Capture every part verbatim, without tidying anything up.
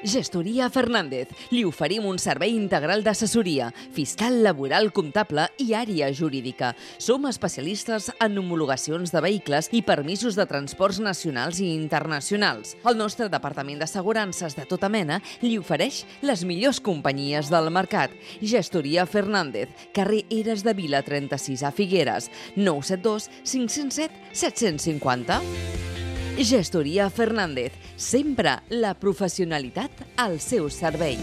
Gestoria Fernández. Li oferim un servei integral d'assessoria, fiscal, laboral, comptable i àrea jurídica. Som especialistes en homologacions de vehicles i permisos de transports nacionals i internacionals. El nostre departament d'assegurances de tota mena li ofereix les millors companyies del mercat. Gestoria Fernández, carrer Eres de Vila trenta-sis a Figueres, nou set dos cinc zero set set cinc zero. Gestoria Fernández, sempre la professionalitat al seu servei.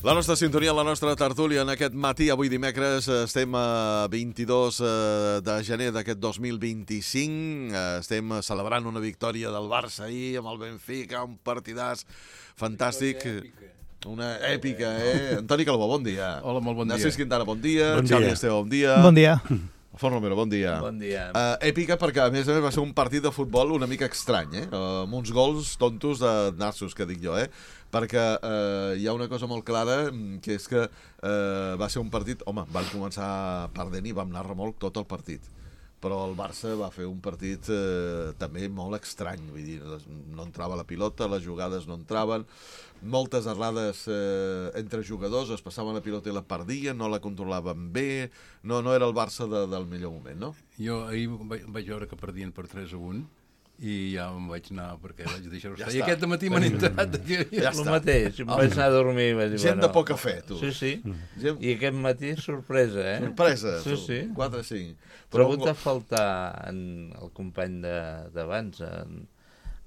La nostra sintonia, la nostra tertúlia en aquest matí, avui dimecres, estem a vint-i-dos de gener d'aquest dos mil vint-i-cinc, estem celebrant una victòria del Barça ahir amb el Benfica, un partidàs fantàstic. Una èpica, eh? Antoni Calbó, bon dia. Hola, molt bon dia. Narcís Quintana, bon dia. Bon dia. Xavi Esteve, bon dia. Bon dia. Alfons Romero, bon dia. Bon dia. Uh, èpica perquè, a més a més, va ser un partit de futbol una mica estrany, eh? Uh, amb uns gols tontos de nassos, que dic jo, eh? Perquè uh, hi ha una cosa molt clara, que és que uh, va ser un partit... Home, van començar perdent i vam anar remolc tot el partit. Però el Barça va fer un partit eh, també molt estrany, vull dir, no entrava la pilota, les jugades no entraven, moltes errades eh, entre jugadors, es passaven la pilota i la perdien, no la controlaven bé, no, no era el Barça de, del millor moment, no? Jo ahir vaig, vaig veure que perdien per tres a un i ja em vaig anar perquè vaig deixar-ho Ja estar. I està. aquest matí m'han enterat que... Ja El està. mateix, em vaig anar a dormir i vaig dir, Gent bueno, de poca fe, tu. Sí, sí. Gent... I aquest matí, sorpresa, eh? Sorpresa, Sí, tu. sí. quatre a cinc. Però ha hagut de faltar en el company de- d'abans, en...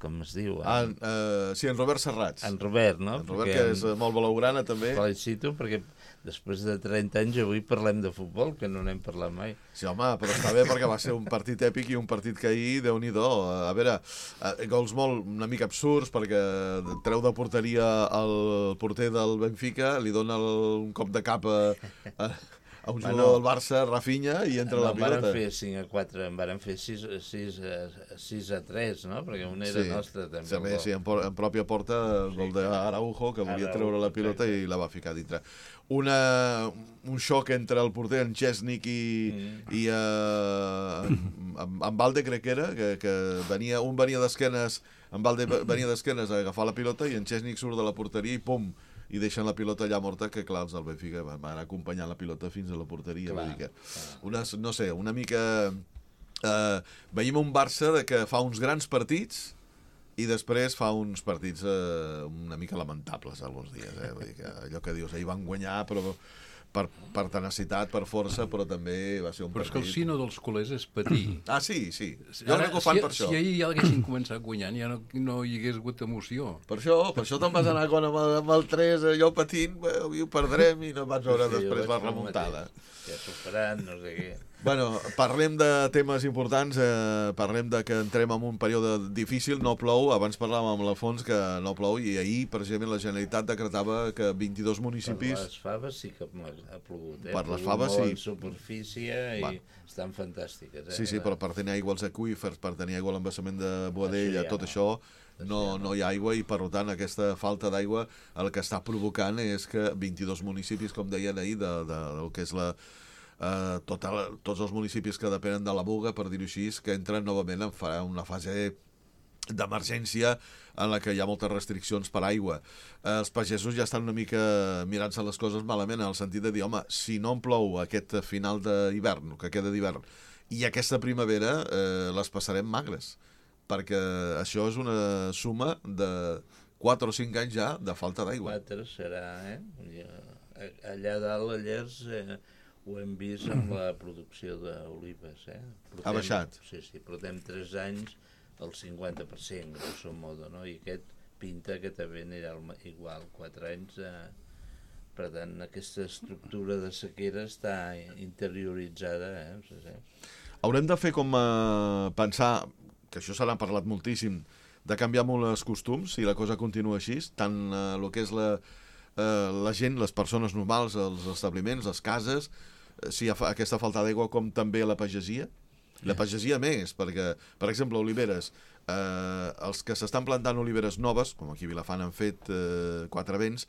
com es diu? En, En, uh, sí, en Robert Serrats. en Robert, no? En Robert, Perquè que és eh, molt blaugrana, també. felicito perquè després de trenta anys avui parlem de futbol, que no n'hem parlat mai. Sí, home, però està bé perquè va ser un partit èpic i un partit que ahir, Déu-n'hi-do. A veure, eh, gols molt una mica absurds perquè treu de porteria el porter del Benfica, li dona el, un cop de cap a, a, a un jugador Bueno, del Barça, Rafinha, i entra No, la en varen pilota. fer cinc a quatre, en varen fer sis a tres, no? Perquè un era Sí, nostre, també. sí, a més, sí, en, por, en pròpia porta, el gol d'Araujo, que volia Araujo, treure la pilota i la va ficar dintre. Una, un xoc entre el porter, en Chesnik, i, Mm. i uh, en, en Valde, crec que era, que, que venia, un venia d'esquenes, en Valde venia d'esquenes a agafar la pilota i en Chesnik surt de la porteria i pum, i deixen la pilota allà morta, que clar, els del Benfica van anar acompanyant la pilota fins a la porteria. Clar, Vull dir que clar. una, no sé, una mica... Uh, veiem un Barça de que fa uns grans partits i després fa uns partits uh, una mica lamentables alguns dies, eh? Vull dir que allò que dius, ahir van guanyar però per, per tenacitat, per força, però també va ser un Però és que el partit... sino dels culers és patir. Ah, sí, sí. Jo crec que ho fan si, per això. Si ahir ja haguessin començat guanyant, ja no, no hi hagués hagut emoció. Per això, per això te'n vas anar quan amb el, amb el tres, allò patint, bé, avui ho perdrem i no vas veure Sí, després jo la vaig fer el remuntada. mateix. Ja superant, no sé què. Bueno, parlem de temes importants, eh, parlem de que entrem en un període difícil, no plou, abans parlàvem amb l'Alfons que no plou, i ahir, precisament, la Generalitat decretava que vint-i-dos Per municipis... les faves sí que ha plogut, eh? Per les Ha plogut faves, molt sí. en superfície i Bueno. estan fantàstiques, eh? Sí, sí, però per tenir aigua als aqüífers, per tenir aigua a l'embassament de Boadella, Això ja tot no. això, Això no, ja no. no hi ha aigua, i per tant aquesta falta d'aigua el que està provocant és que vint-i-dos municipis, com deien ahir, de, de, del que és la... Uh, tota, tots els municipis que depenen de la Muga, per dir-ho així, que entren novament en fa, una fase d'emergència en la que hi ha moltes restriccions per aigua. Eh, els pagesos ja estan una mica mirant-se les coses malament, en el sentit de dir, home, si no en plou aquest final d'hivern, que queda d'hivern, i aquesta primavera, eh, les passarem magres, perquè això és una suma de quatre o cinc anys ja de falta d'aigua. Quatre serà, eh? Ja, allà dalt, a Llers, eh, ho hem vist amb la producció d'olives, eh? Portem- Ha baixat. Sí, sí, portem tres anys al cinquanta per cent, grosso modo, no? I aquest pinta que també anirà al ma- igual, quatre anys. Eh? Per tant, aquesta estructura de sequera està interioritzada, eh? Sí, sí. Haurem de fer com a pensar, que això se n'ha parlat moltíssim, de canviar molt els costums si la cosa continua així, tant eh, el que és la, eh, la gent, les persones normals, els establiments, les cases, si hi ha aquesta falta d'aigua, com també la pagesia. La pagesia més, perquè, per exemple, oliveres, eh, els que s'estan plantant oliveres noves, com aquí a Vilafant han fet eh, Quatre Vents,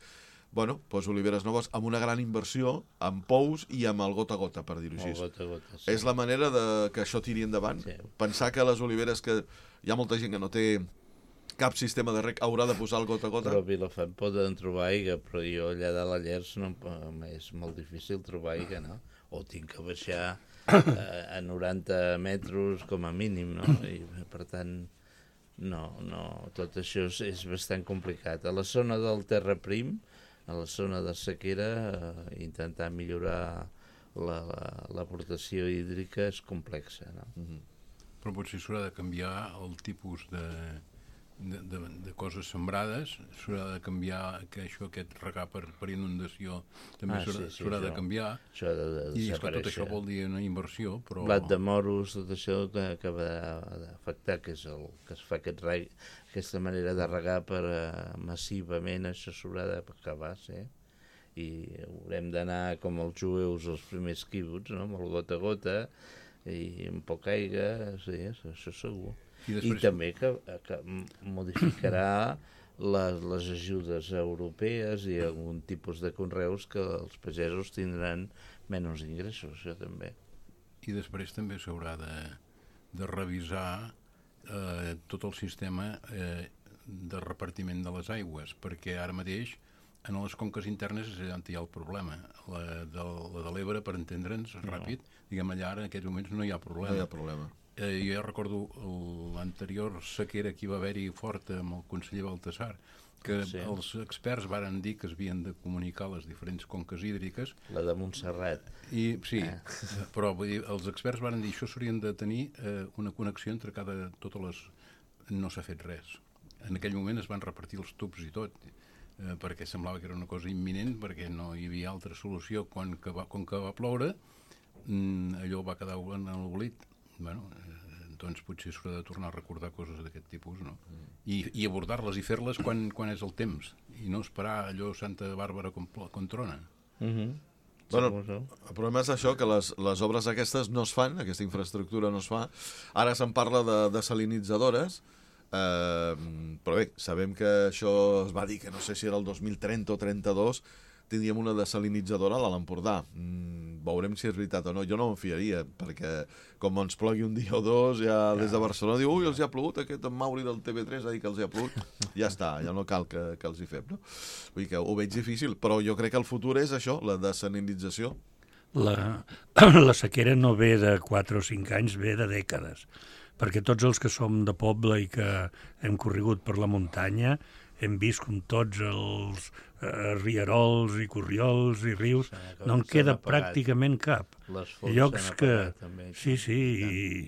bueno, doncs oliveres noves amb una gran inversió, amb pous i amb el gota a gota, per dir-ho així. Gota a gota, sí. És la manera de que això tiri endavant. Sí. Pensar que les oliveres, que hi ha molta gent que no té cap sistema de reg, haurà de posar el gota a gota. Però a Vilafant poden trobar aigua, però jo allà de la Llers no, és molt difícil trobar aigua, no? O tinc que baixar a noranta metres com a mínim, no? I per tant, no, no, tot això és, és bastant complicat. A la zona del terraprim, a la zona de sequera, eh, intentar millorar l'aportació la, la, hídrica és complexa, no? Mm-hmm. Però potser s'haurà de canviar el tipus de, de, de, de coses sembrades, s'haurà de canviar que això, aquest regar per, per inundació també ah, s'haurà sí, sí, de canviar, això de, de i és que tot això vol dir una inversió, però... Blat de moros, tot això que acaba d'afectar, que és el que es fa aquest reg, aquesta manera de regar per uh, massivament, això s'haurà d'acabar, sí. I haurem d'anar com els jueus els primers quibuts, no? Amb el gota a gota i amb poca aigua, sí, això segur. I, després... I també que, que modificarà les, les ajudes europees i algun tipus de conreus que els pagesos tindran menys ingressos, això també. I després també s'haurà de, de revisar eh, tot el sistema eh, de repartiment de les aigües, perquè ara mateix en les conques internes és on hi ha el problema. La de, la de l'Ebre, per entendre'ns ràpid, no. Diguem, allà ara en aquests moments no hi ha problema. No hi ha problema. Eh, jo ja recordo l'anterior sequera que hi va haver-hi forta amb el conseller Baltasar, que sí. Els experts varen dir que es havien de comunicar les diferents conques hídriques. La de Montserrat. I, sí, ah. Però vull dir, els experts varen dir que això s'haurien de tenir eh, una connexió entre cada... totes les... No s'ha fet res. En aquell moment es van repartir els tubs i tot, eh, perquè semblava que era una cosa imminent, perquè no hi havia altra solució. Quan que va, quan que va ploure, mmm, allò va quedar en l'oblit. Bueno, eh, doncs potser s'haurà de tornar a recordar coses d'aquest tipus, no? Mm. I, i abordar-les i fer-les quan, quan és el temps, i no esperar allò Santa Bàrbara com, com trona. Mm-hmm. Bueno, el problema és això, que les, les obres aquestes no es fan, aquesta infraestructura no es fa. Ara se'n parla de desalinitzadores, eh, però bé, sabem que això es va dir que no sé si era el dos mil trenta o trenta-dos, tindríem una desalinitzadora a l'Empordà. Mm, veurem si és veritat o no. Jo no em fiaria, perquè com ens plogui un dia o dos, ja des de Barcelona diu, ui, els hi ha plogut, aquest en Mauri del T V tres ha dit que els hi ha plogut. Ja està, ja no cal que, que els hi fem, no? Vull dir que ho veig difícil, però jo crec que el futur és això, la desalinització. La, la sequera no ve de quatre o cinc anys, ve de dècades, perquè tots els que som de poble i que hem corregut per la muntanya hem vist com tots els eh, rierols i corriols i rius, sí, no en queda pràcticament cap. Llocs que... També, sí, sí, i,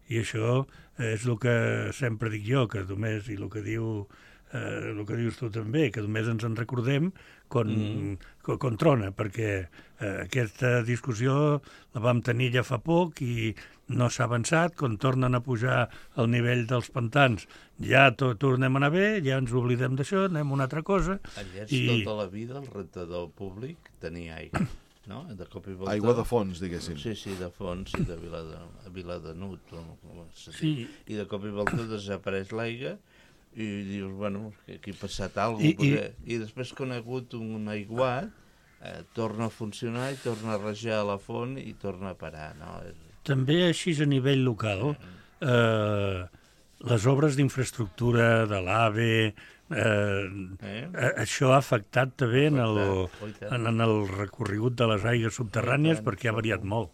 i això és el que sempre dic jo, que només, i el que diu eh, el que dius tu també, que només ens en recordem quan, mm. quan, quan trona, perquè eh, aquesta discussió la vam tenir ja fa poc i no s'ha avançat. Quan tornen a pujar el nivell dels pantans ja to tornem a anar bé, ja ens oblidem d'això, anem a una altra cosa. Allà i... tota la vida el rentador públic tenia aigua, no? De cop i volta... Aigua de fons, diguéssim. Sí, sí, de fons, i de Viladenut. Sí. I de cop i volta desapareix l'aigua i dius, bueno, aquí ha passat alguna cosa. I, perquè... i... I després quan ha hagut un aiguat, eh, torna a funcionar i torna a rajar a la font i torna a parar, no? També així a nivell local, eh, les obres d'infraestructura de l'AVE, eh, eh? això ha afectat també en el, en, en el recorregut de les aigües subterrànies perquè ha variat molt.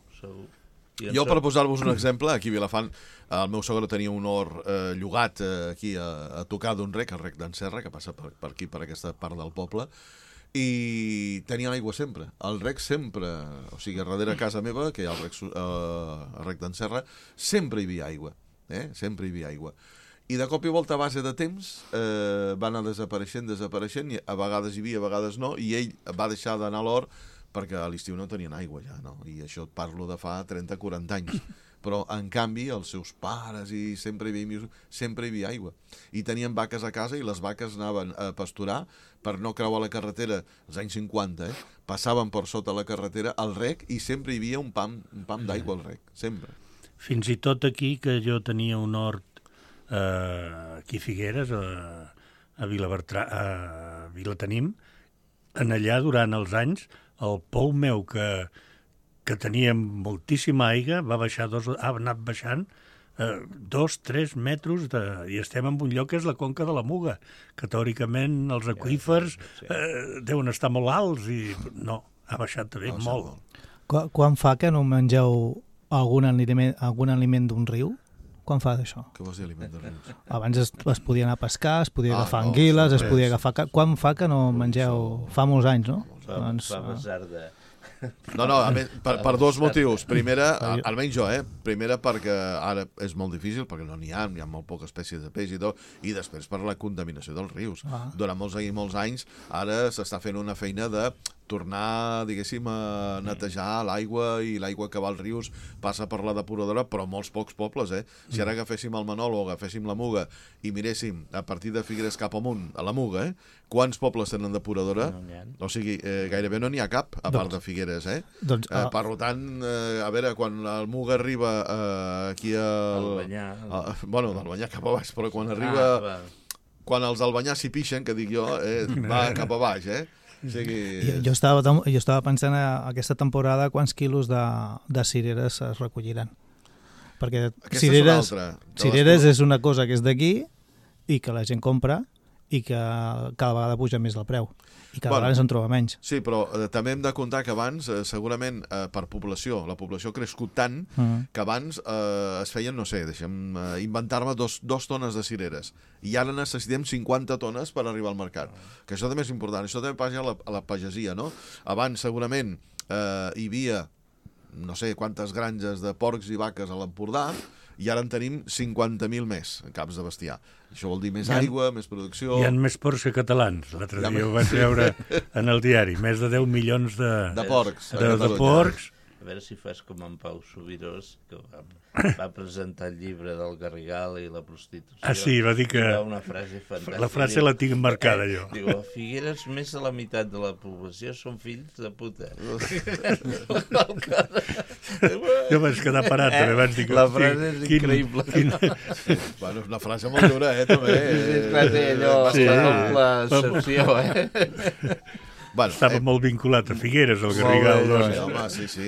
Jo, per posar-vos un exemple, aquí a Vilafant, el meu sogre tenia un hort eh, llogat eh, aquí a, a tocar d'un rec, el rec d'en Serra, que passa per, per aquí, per aquesta part del poble, i tenien aigua sempre, el rec sempre, o sigui, darrere casa meva, que hi ha el rec, eh, el rec d'en Serra, sempre hi havia aigua, eh? sempre hi havia aigua. I de cop i volta, a base de temps, eh, va anar desapareixent, desapareixent, i a vegades hi havia, a vegades no, i ell va deixar d'anar a l'hort perquè a l'estiu no tenien aigua ja, no? I això et parlo de fa trenta o quaranta anys. però en canvi els seus pares i sempre hi havia, sempre hi havia aigua. I tenien vaques a casa i les vaques anaven a pasturar per no creuar la carretera, als anys cinquanta, eh? Passaven per sota la carretera al rec i sempre hi havia un pam, un pam d'aigua al rec, sempre. Fins i tot aquí, que jo tenia un hort eh, aquí a Figueres, a, a, Vilabertrà, a Vilatenim, en allà, durant els anys, el pou meu, que, que tenia moltíssima aigua, va baixar dos, ha anat baixant eh, dos, tres metres, de, i estem en un lloc que és la conca de la Muga, que teòricament els aqüífers eh, deuen estar molt alts, i no, ha baixat també no, molt. Qu quan fa que no mengeu algun aliment, algun aliment d'un riu? Quan fa d'això? Què vols dir, aliment de rius? Abans es, es podia anar a pescar, es podia ah, agafar no, anguiles, es res. podia agafar... Quan fa que no mengeu? Fa molts anys, no? Fa, doncs, fa basar de... No, no, a més, per, per dos motius. Primera, almenys jo, eh? Primera perquè ara és molt difícil, perquè no n'hi ha, hi ha molt poca espècies de peix i tot, i després per la contaminació dels rius. Ah. Durant molts i molts anys, ara s'està fent una feina de tornar, diguéssim, a netejar l'aigua, i l'aigua que va als rius passa per la depuradora, però molts pocs pobles, eh? Si ara agaféssim el Manol o agaféssim la Muga i miréssim a partir de Figueres cap amunt, a la Muga, eh? Quants pobles tenen depuradora? No o sigui, eh, gairebé no n'hi ha cap, a part de Figueres, eh? Doncs, eh per tant, eh, a veure, quan el Muga arriba eh, aquí al... Albanyà. A, bueno, d'Albanyà cap a baix, però quan arriba... Ah, quan els d'Albanyà s'hi pixen, que dic jo, eh, va cap a baix, eh? O sigui... jo, jo, estava, jo estava pensant a aquesta temporada quants quilos de, de cireres es recolliran. Perquè aquesta cireres, és una altra. cireres és una cosa que és d'aquí i que la gent compra i que cada vegada puja més el preu. I cada bueno, vegada se'n troba menys. Sí, però eh, també hem de comptar que abans, eh, segurament eh, per població, la població ha crescut tant uh -huh. que abans eh, es feien, no sé, deixem eh, inventar-me dos, dos tones de cireres. I ara necessitem cinquanta tones per arribar al mercat. Uh -huh. Que això també és important. Això també passa a la, a la pagesia, no? Abans, segurament, eh, hi havia no sé quantes granges de porcs i vaques a l'Empordà, i ara en tenim cinquanta mil més en caps de bestiar. Això vol dir més ha, aigua, més producció... Hi ha més porcs que catalans. L'altre dia més... ho vaig veure en el diari. Més de deu milions de... De porcs. De, de porcs. A veure si fas com en Pau Subirós, que va, va presentar el llibre del Garrigal i la prostitució. Ah, sí, va dir que... Va una frase fantàstica. La frase la tinc marcada, jo. Diu, a Figueres més de la meitat de la població són fills de puta. Jo vaig quedar parat, també vaig dir que... La frase és quin, increïble. Quin... Bueno, és una frase molt dura, eh, també. És clar, té allò, sí, la excepció, eh? Bueno, estava eh, molt vinculat a Figueres, el Garrigal. Doncs, home, sí, sí.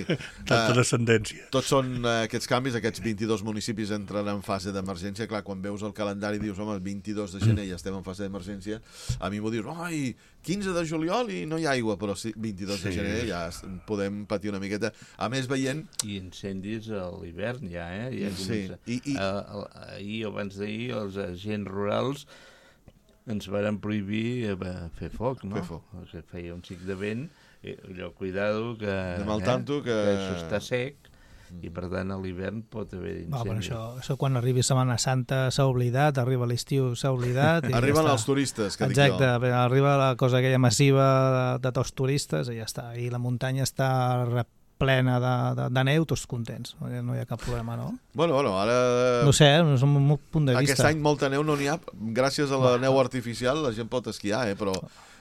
Tanta uh, descendència. Tots són uh, aquests canvis, aquests vint-i-dos municipis entren en fase d'emergència. Clar, quan veus el calendari dius, home, el vint-i-dos de gener ja estem en fase d'emergència. A mi m'ho dius, ai, quinze de juliol i no hi ha aigua, però sí, vint-i-dos sí. de gener ja podem patir una miqueta. A més, veient... I incendis a l'hivern ja, eh? I, sí. I, i... Uh, ahir o abans d'ahir, els agents rurals ens varen prohibir eh, fer foc, no? Fer foc. Que feia un xic de vent, i allò, cuidado, que, de mal tanto, que... que això està sec, i per tant a l'hivern pot haver incendis. Això, això quan arribi Setmana Santa s'ha oblidat, arriba l'estiu s'ha oblidat... Arriben ja els turistes, que exacte, dic jo. Arriba la cosa aquella massiva de, de tots turistes i ja està. I la muntanya està plena de, de, de neu, tots contents. No hi ha cap problema, no? Bueno, bueno, ara... No sé, no és un punt de vista. Aquest any molta neu no n'hi ha. Gràcies a la bueno. neu artificial la gent pot esquiar, eh? Però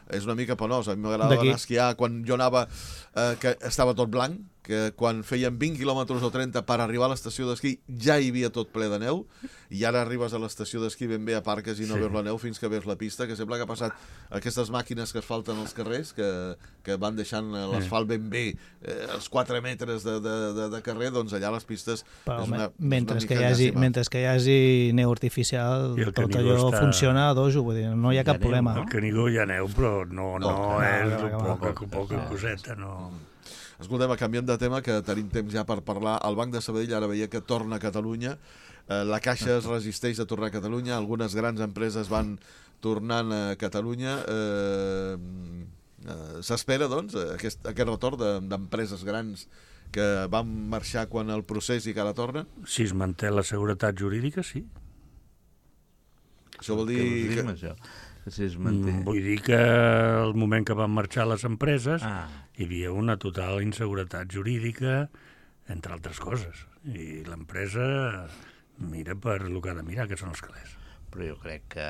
és una mica penós. A mi m'agradava anar a esquiar quan jo anava, eh, que estava tot blanc, que quan feien vint quilòmetres o trenta per arribar a l'estació d'esquí ja hi havia tot ple de neu, i ara arribes a l'estació d'esquí ben bé a Parques i no sí. veus la neu fins que veus la pista, que sembla que ha passat aquestes màquines que es falten als carrers, que, que van deixant l'asfalt ben bé, eh, els quatre metres de, de, de, de carrer, doncs allà les pistes... Però, és una, mentre, és una que hi hagi, mentre que hi hagi neu artificial, tot allò està... funciona a dojo, vull dir, no hi ha cap neu, problema. Al Canigó hi ha neu, però no, no, no és no, no, poca, poca, poca coseta, no... Escoltem, canviem de tema, que tenim temps ja per parlar. El Banc de Sabadell ara veia que torna a Catalunya, eh, la Caixa es resisteix a tornar a Catalunya, algunes grans empreses van tornant a Catalunya. Eh, eh, S'espera, doncs, aquest, aquest retorn d'empreses grans que van marxar quan el procés i que ara tornen? Si es manté la seguretat jurídica, sí. Això vol dir... Què vols dir, això? Si es manté. Vull dir que el moment que van marxar les empreses ah. hi havia una total inseguretat jurídica, entre altres coses. i l'empresa mira per el que ha de mirar, que són els calés. Però jo crec que,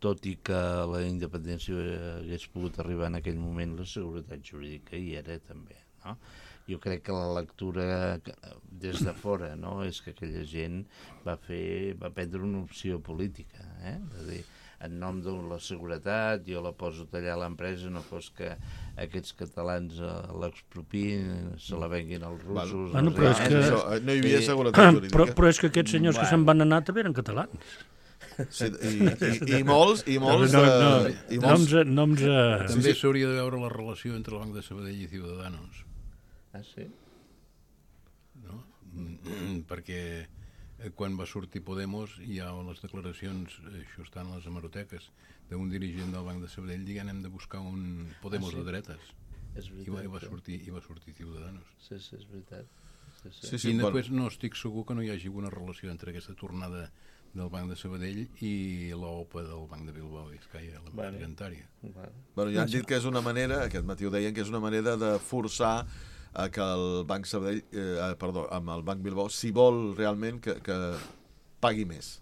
tot i que la independència hagués pogut arribar en aquell moment, la seguretat jurídica hi era també, no? Jo crec que la lectura des de fora, no?, és que aquella gent va fer, va prendre una opció política, eh? És a dir, en nom de la seguretat, jo la poso a tallar a l'empresa, no fos que aquests catalans l'expropiïn, se la venguin als russos... Bueno, però és que... Això, no hi havia seguretat jurídica. Però, però és que aquests senyors bueno. que se'n van anar també eren catalans. Sí, i, i, i molts, i molts... No, no, no, i molts... noms, noms a... També s'hauria de veure la relació entre el Banc de Sabadell i Ciudadanos. Ah, sí? No? Perquè quan va sortir Podemos hi ha les declaracions, això està en les hemeroteques, d'un dirigent del Banc de Sabadell dient hem de buscar un Podemos ah, sí? de dretes. És veritat, I va, i va sortir, i va sortir Ciudadanos. Sí, sí, és veritat. Sí, sí. Sí, sí, I després no estic segur que no hi hagi una relació entre aquesta tornada del Banc de Sabadell i l'O P A del Banc de Bilbao i Escaia, la Bueno. Tributària. Bueno. Bueno, ja han dit que és una manera, aquest matí ho deien, que és una manera de forçar a que el Banc Sabadell, eh, perdó, amb el Banc Bilbao, si vol realment que, que pagui més.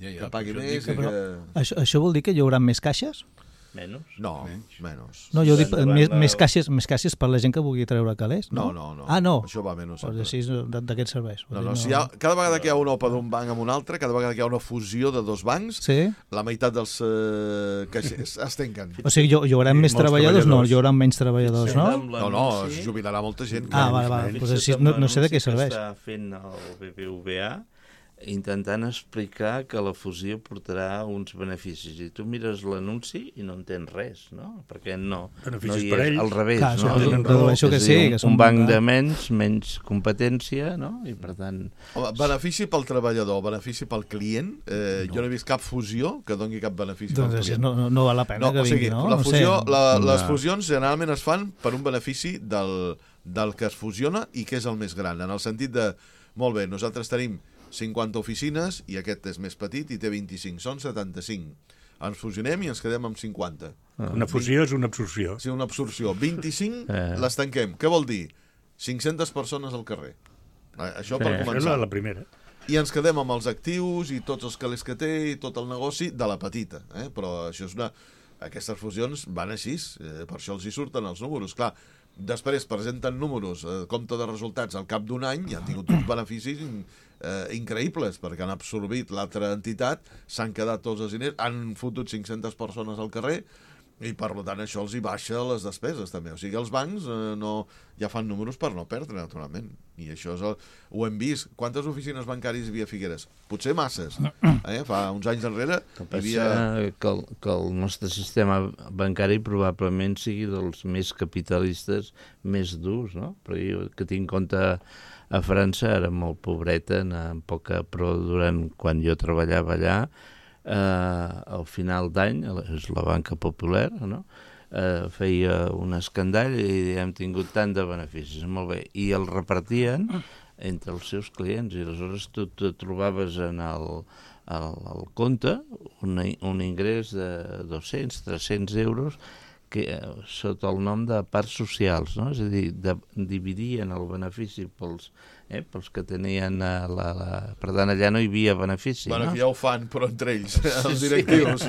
Ja, ja, Que pagui per això més dic i que- que... Això, això vol dir que hi haurà més caixes? Menys? No, Menys. menys. No, jo dic Endavant, més, va. més, caixes, més caixes per la gent que vulgui treure calés, No, no? no, no. Ah, no. Això va menys. Pues així d'aquests serveis. No, no, si hi ha, cada vegada que hi ha una O P A d'un banc amb un altre, cada vegada que hi ha una fusió de dos bancs, Sí? la meitat dels eh, caixers es tanquen. O sigui, hi, hi haurà I més molts treballadors? No, treballadors. hi haurà menys treballadors, no? No, no, es jubilarà molta gent. Ah, clar. vale, vale. Fixa't Pues així, no, no sé de què serveix. Està fent el B B V A intentant explicar que la fusió portarà uns beneficis. I tu mires l'anunci i no entens res, no? Perquè no, Beneficis no hi per és ells. al revés, Clar, no? això tenen dedueixo que És a sí, dir, que un, són- un banc de menys, menys competència, no? I per tant... Home, benefici pel treballador, benefici pel client. Eh, no. Jo no he vist cap fusió que doni cap benefici Doncs pel així client. no, no, no val la pena No, que o sigui, vingui, no? la No fusió, sé. la, les No. fusions generalment es fan per un benefici del, del que es fusiona i que és el més gran, en el sentit de, molt bé, nosaltres tenim cinquanta oficines i aquest és més petit i té vint-i-cinc, són setanta-cinc. Ens fusionem i ens quedem amb cinquanta. Una fusió és una absorció. Sí, una absorció. vint-i-cinc Eh. les tanquem. Què vol dir? cinc-centes persones al carrer. Eh, Això per Sí. Això és començar. la, la primera. I ens quedem amb els actius i tots els calés que té i tot el negoci de la petita. Eh? Però això és una... Aquestes fusions van així, eh, per això els hi surten els números. Clar, després presenten números, eh, compte de resultats al cap d'un any i han tingut uns beneficis eh, increïbles perquè han absorbit l'altra entitat, s'han quedat tots els diners, han fotut cinc-centes persones al carrer i per tant això els hi baixa les despeses també. O sigui, els bancs eh, no, ja fan números per no perdre, naturalment. I això és el, ho hem vist. Quantes oficines bancàries hi havia a Figueres? Potser masses. Eh? Fa uns anys enrere hi havia... Havia... Que, el, que el nostre sistema bancari probablement sigui dels més capitalistes, més durs, no? Però jo que tinc en compte a França era molt pobreta, amb poca, però durant quan jo treballava allà, eh, al final d'any, és la banca popular, no? Eh, feia un escandall i hem tingut tant de beneficis, molt bé, i el repartien entre els seus clients i aleshores tu te trobaves en el, el, el compte un, un ingrés de dos-cents, tres-cents euros que, sota el nom de parts socials, no? És a dir, de, dividien el benefici pels, eh, pels que tenien eh, la, la... Per tant, allà no hi havia benefici, Bueno, no? aquí ja ho fan, però entre ells, els sí. directius.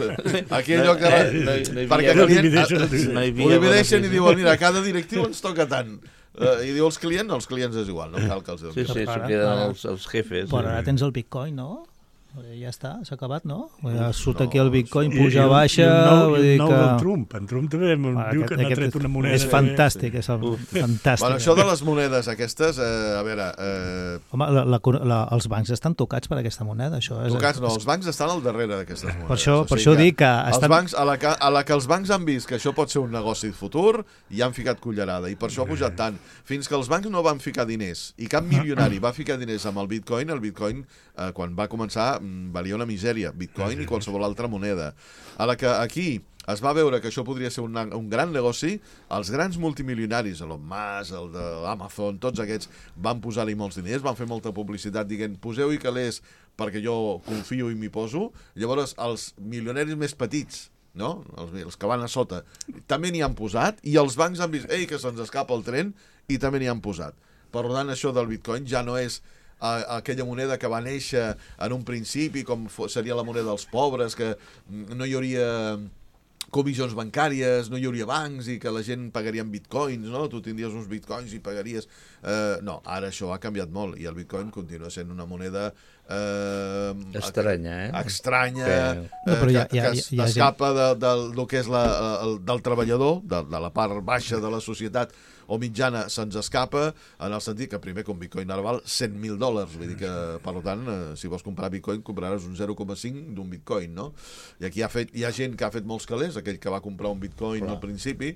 Aquí allò que... No, no, no hi perquè havia- el client, divideixen, no hi ho havia divideixen i benefici. diuen, mira, a cada directiu ens toca tant. Uh, I diu els clients, els clients és igual, no cal que els Sí, donin. sí, s'ho Ara- queden ara- els, els jefes. Però eh? ara tens el Bitcoin, no? Ja està, s'ha acabat, no? Ja surt no, aquí el Bitcoin, I- puja, i un- baixa... I un nou, vull i dir un nou que... del Trump. En Trump també em Ah, diu que n'ha tret una moneda. és fantàstic, és el, fantàstic. Bueno, això de les monedes aquestes, eh, a veure... Eh, Home, la, la, la, els bancs estan tocats per aquesta moneda, això és... tocats, no, els bancs estan al darrere d'aquestes monedes. Per això- O per sigui això dic que Els estan- bancs, a la, que, a la que els bancs han vist que això pot ser un negoci de futur, hi han ficat cullerada, i per això ha pujat tant. Fins que els bancs no van ficar diners, i cap milionari va ficar diners amb el Bitcoin, el Bitcoin, eh, quan va començar, mm, valia una misèria, Bitcoin i qualsevol altra moneda. A la que aquí es va veure que això podria ser un, un gran negoci, els grans multimilionaris, Elon Musk, el de Amazon, tots aquests, van posar-hi molts diners, van fer molta publicitat dient, poseu-hi calés perquè jo confio i m'hi poso. Llavors, els milionaris més petits, no? els, els que van a sota, també n'hi han posat, i els bancs han vist, ei, que se'ns escapa el tren, i també n'hi han posat. Per tant, això del bitcoin ja no és a aquella moneda que va néixer en un principi, com seria la moneda dels pobres, que no hi hauria comissions bancàries, no hi hauria bancs i que la gent pagaria en bitcoins, no? Tu tindries uns bitcoins i pagaries... Eh, no, ara això ha canviat molt i el bitcoin continua sent una moneda eh, estranya, eh? estranya, que, eh, no, que, ja, ja, que ja, escapa de, de, del que és la, el, del treballador, de, de la part baixa de la societat o mitjana, se'ns escapa, en el sentit que primer que un bitcoin ara val cent mil dòlars, vull dir que, per tant, eh, si vols comprar bitcoin, compraràs un zero coma cinc d'un bitcoin, no? I aquí hi ha, fet, hi ha gent que ha fet molts calés, aquell que va comprar un bitcoin Clar. al principi,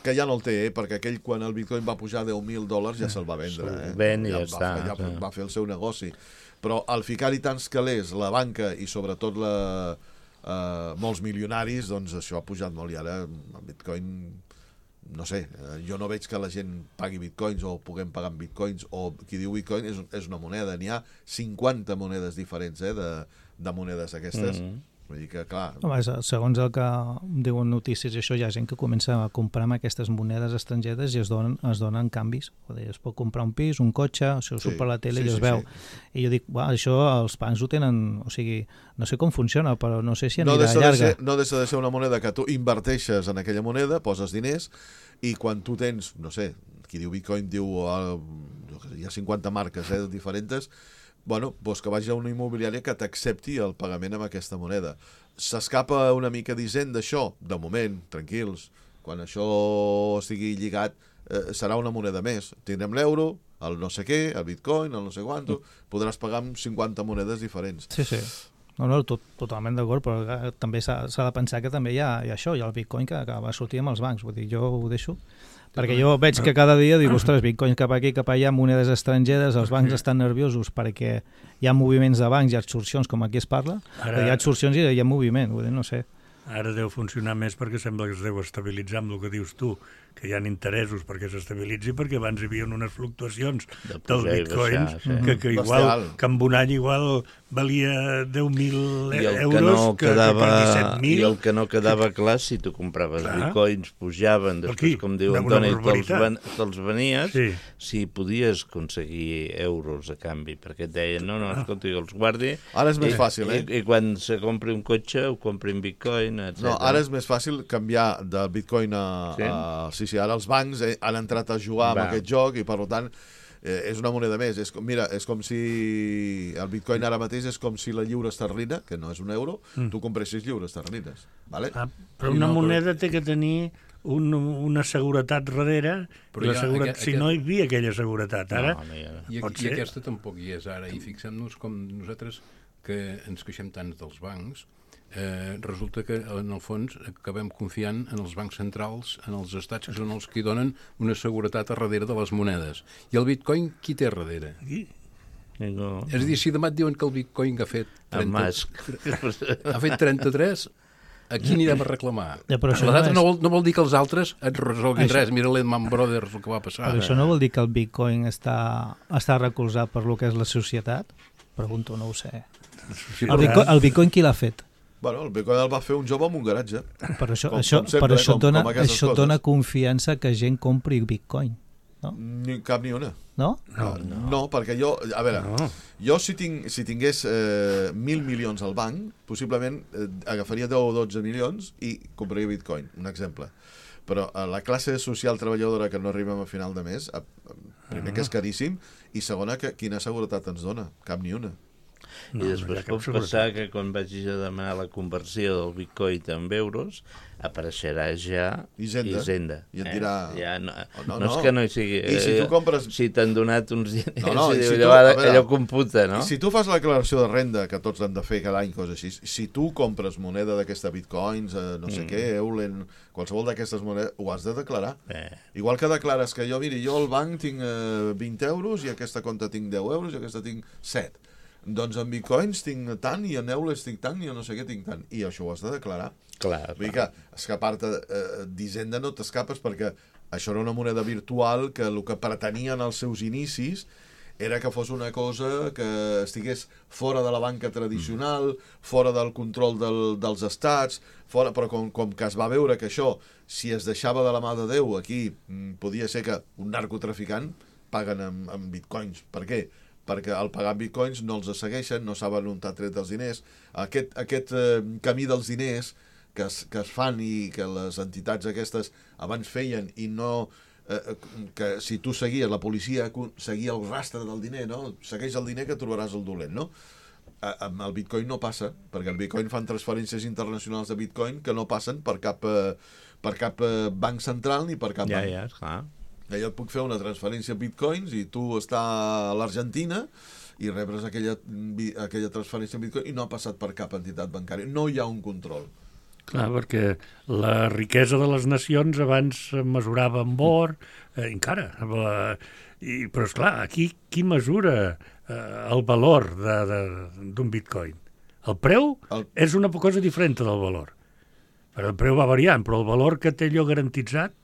que ja no el té, eh? Perquè aquell, quan el bitcoin va pujar deu mil dòlars, ja se'l va vendre. Eh? Ven i ja, ja està. Va, ja va fer el seu negoci. Però al ficar-hi tants calés, la banca i sobretot la, eh, molts milionaris, doncs això ha pujat molt i ara el bitcoin... no sé, jo no veig que la gent pagui bitcoins o puguem pagar amb bitcoins, o qui diu bitcoin és, és una moneda, n'hi ha cinquanta monedes diferents eh, de, de monedes aquestes. Mm-hmm. Vull dir que, clar... Home, segons el que diuen notícies i això, hi ha gent que comença a comprar amb aquestes monedes estrangeres i es donen, es donen canvis. Es pot comprar un pis, un cotxe, això surt sí, per la tele sí, i es sí, veu. Sí. I jo dic, uah, això els bancs ho tenen... O sigui, no sé com funciona, però no sé si anirà no llarga. De ser, no deixa de ser una moneda que tu inverteixes en aquella moneda, poses diners, i quan tu tens, no sé, qui diu bitcoin diu... Uh, hi ha cinquanta marques eh, diferents... bueno, doncs que vagi a una immobiliària que t'accepti el pagament amb aquesta moneda. S'escapa una mica d'Hisenda d'això? De moment, tranquils. Quan això estigui lligat, eh, serà una moneda més. Tindrem l'euro, el no sé què, el bitcoin, el no sé quanto, podràs pagar amb cinquanta monedes diferents. Sí, sí. No, no, tot, totalment d'acord, però també s'ha de pensar que també hi ha, hi ha això, hi ha el bitcoin que, que va sortir amb els bancs. Vull dir, jo ho deixo... Perquè jo veig que cada dia dic, ostres, bitcoins cap aquí, cap allà, monedes estrangeres, els bancs estan nerviosos perquè hi ha moviments de bancs i absorcions, com aquí es parla, Ara... hi ha absorcions i hi ha moviment, vull dir, no sé. Ara deu funcionar més perquè sembla que es deu estabilitzar amb el que dius tu, que hi ha interessos perquè s'estabilitzi, perquè abans hi havia unes fluctuacions de del bitcoins baixar, sí. que, que igual, que en un any igual valia deu mil euros no que, quedava, que per disset mil. I el que no quedava clar, si tu compraves clar. bitcoins, pujaven, després, Aquí, com diu Antoni, te'ls ven, te venies, sí. si podies aconseguir euros a canvi, perquè et deien, no, no, escolta, jo els guardi. Ara és més i, fàcil, eh? I, i quan se compri un cotxe, ho compri en bitcoin, etcètera. No, ara és més fàcil canviar del bitcoin a... Sí? a sí, sí, ara els bancs eh, han entrat a jugar Va. amb aquest joc i, per tant, eh, és una moneda més. És com, mira, és com si el bitcoin ara mateix és com si la lliura esterlina, que no és un euro, mm. tu compressis lliures esterlines. Vale? Ah, però una no, moneda però... té que tenir un, una seguretat darrere, però la seguretat, aquest, si aquest... no hi havia aquella seguretat. Ara, no, I, I aquesta tampoc hi és ara. I fixem-nos com nosaltres, que ens queixem tant dels bancs, Eh, resulta que en el fons acabem confiant en els bancs centrals, en els estats, que són els que donen una seguretat a darrere de les monedes. I el bitcoin qui té a darrere? No. És a dir, si demà et diuen que el bitcoin ha fet trenta, ha fet trenta-tres, a qui anirem a reclamar? Ja, però això no, és... no, vol, no vol dir que els altres et resolguin això... res. Mira l'Edman Brothers, el que va passar. Però això no vol dir que el bitcoin està, està recolzat per lo que és la societat? Pregunto, no ho sé. El bitcoin, el bitcoin qui l'ha fet? Bueno, el bitcoin el va fer un jove en un garatge. Per això, com, això, com sempre, per això, com, dona, com això dona confiança que gent compri bitcoin, no? Ni cap ni una. No? No, no, no perquè jo, a veure, no. jo si, tinc, si tingués eh, mil milions al banc, possiblement eh, agafaria deu o dotze milions i compraria bitcoin, un exemple. Però a la classe social treballadora que no arribem a final de mes, a, a, primer que és caríssim, i segona, que quina seguretat ens dona? Cap ni una. No, I després pot passar que quan vagis a demanar la conversió del bitcoin en euros apareixerà ja Hisenda, Hisenda. I et dirà... Eh? Ja no, oh, no, no, no és que no hi sigui... I si tu compres... Si t'han donat uns diners, no, no, si si diu, tu, allò, veure, allò computa, no? Si tu fas la declaració de renda, que tots han de fer cada any, coses així, si tu compres moneda d'aquesta bitcoins, eh, no sé mm. què, Eulen, qualsevol d'aquestes monedes, ho has de declarar. Eh. Igual que declares que jo, miri, jo al banc tinc eh, vint euros i aquesta compta tinc deu euros i aquesta tinc set. Doncs en bitcoins tinc tant i en euros tinc tant i en no sé què tinc tant. I això ho has de declarar. Clar, Vull dir que escapar-te eh, d'Hisenda no t'escapes perquè això era una moneda virtual que el que pretenia en els seus inicis era que fos una cosa que estigués fora de la banca tradicional, fora del control del, dels estats, fora, però com, com que es va veure que això, si es deixava de la mà de Déu aquí, podia ser que un narcotraficant paguen amb, amb bitcoins. Per què? Perquè al pagar amb bitcoins no els segueixen, no saben on t'ha tret els diners. Aquest, aquest eh, camí dels diners que es, que es fan i que les entitats aquestes abans feien i no... Eh, que si tu seguies, la policia seguia el rastre del diner, no? Segueix el diner que trobaràs el dolent, no? Amb el bitcoin no passa, perquè el bitcoin fan transferències internacionals de bitcoin que no passen per cap, per cap banc central ni per cap ja, banc. Ja, esclar. Jo et puc fer una transferència en bitcoins i tu està a l'Argentina i rebres aquella, aquella transferència en bitcoin i no ha passat per cap entitat bancària. No hi ha un control. Clar, perquè la riquesa de les nacions abans es mesurava amb or, eh, encara. La, i, però, esclar, aquí qui mesura eh, el valor d'un bitcoin? El preu el... és una cosa diferent del valor. Però el preu va variant, però el valor que té allò garantitzat...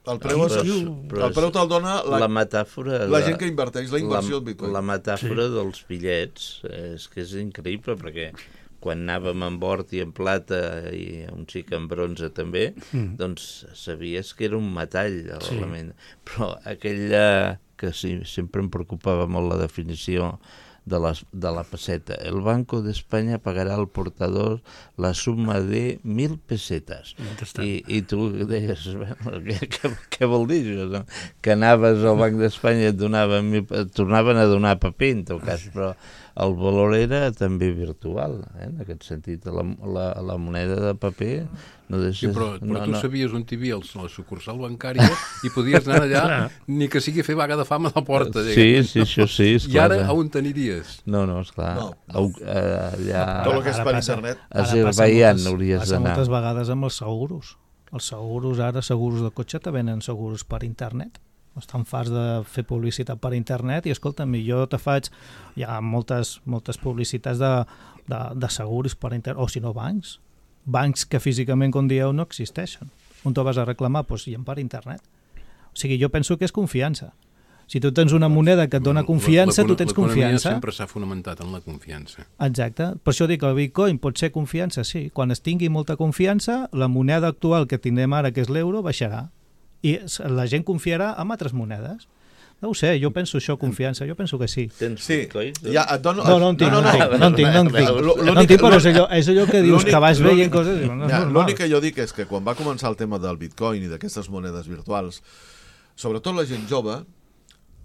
El preu, és, el preu te'l dona la, la metàfora... La gent que inverteix, la inversió la, en bitcoin. La metàfora sí. dels bitllets és que és increïble, perquè... quan anàvem en or i en plata i un xic en bronze també, mm. doncs sabies que era un metall l'element. Sí. Però aquella que sí, sempre em preocupava molt la definició de la, de la peseta. El Banco de España pagarà al portador la suma de mil pesetes. I, i tu deies, bueno, què, què, què vol dir això? No? Que anaves al Banc d'Espanya i et, donaven, et tornaven a donar paper, en tot cas, però el valor era també virtual, eh? En aquest sentit. La, la, la moneda de paper... No deixes, sí, però, però no, tu no. sabies on t'hi havia la sucursal bancària i podies anar allà, ni que sigui fer vaga de fam a la porta. Sí, sí, això sí. I ara a on t'aniries? No, no, esclar. No. A, a, allà... Tot el que és per internet. A Azerbaiyán hauries d'anar. Passa moltes vegades amb els seguros. Els seguros, ara, seguros de cotxe, te venen seguros per internet. Estan farts de fer publicitat per internet i, escolta'm, jo te faig... Hi ha moltes, moltes publicitats de, de, de seguros per internet, o si no, bancs. Bancs que físicament, com dieu, no existeixen. On te vas a reclamar? Doncs hi ha per internet. O sigui, jo penso que és confiança. Si tu tens una moneda que et dona confiança, tu tens confiança. L'economia sempre s'ha fonamentat en la confiança. Exacte. Per això dic que el bitcoin pot ser confiança, sí. Quan es tingui molta confiança, la moneda actual que tindrem ara, que és l'euro, baixarà. I la gent confiarà en altres monedes. No ho sé, jo penso això, confiança, jo penso que sí. Tens sí. bitcoin? Ja, et dono... No, no en tinc, no, no, no, no en tinc, no en tinc. No en tinc, però és allò, és allò que dius, que vas veient coses... No, ja, l'únic que jo dic és que quan va començar el tema del bitcoin i d'aquestes monedes virtuals, sobretot la gent jove,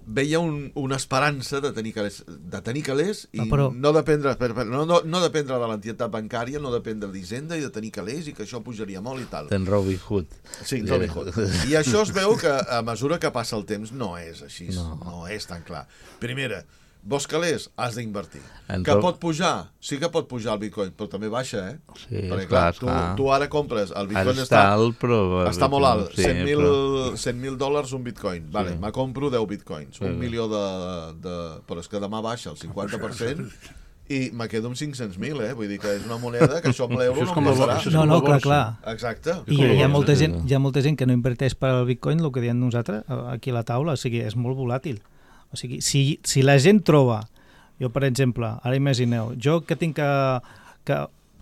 veia un, una esperança de tenir calés, de tenir calés i no, però... no, dependre, no, no, no dependre de l'entitat bancària, no dependre d'Hisenda i de tenir calés i que això pujaria molt i tal. Ten Robin Hood. Sí, Robin Hood. I això es veu que a mesura que passa el temps no és així, no, no és tan clar. Primera, vols calés? Has d'invertir. En que Rob... pot pujar? Sí que pot pujar el bitcoin, però també baixa, eh? Sí, perquè, clar, clar, tu, clar. tu ara compres, el bitcoin està, està, alt, però... està molt alt, sí, cent mil dòlars un bitcoin. Vale, sí. Me compro deu bitcoins, sí. un milió de, de... Però és que demà baixa el cinquanta per cent i me quedo amb cinc-cents mil, eh? Vull dir que és una moneda que això amb l'euro no em passarà. No, no, clar, clar. Exacte. I hi ha molta gent, hi ha molta gent que no inverteix per al bitcoin, el que diem nosaltres, aquí a la taula, o sigui, és molt volàtil. O sigui, si, si la gent troba... Jo, per exemple, ara imagineu, jo que tinc que, que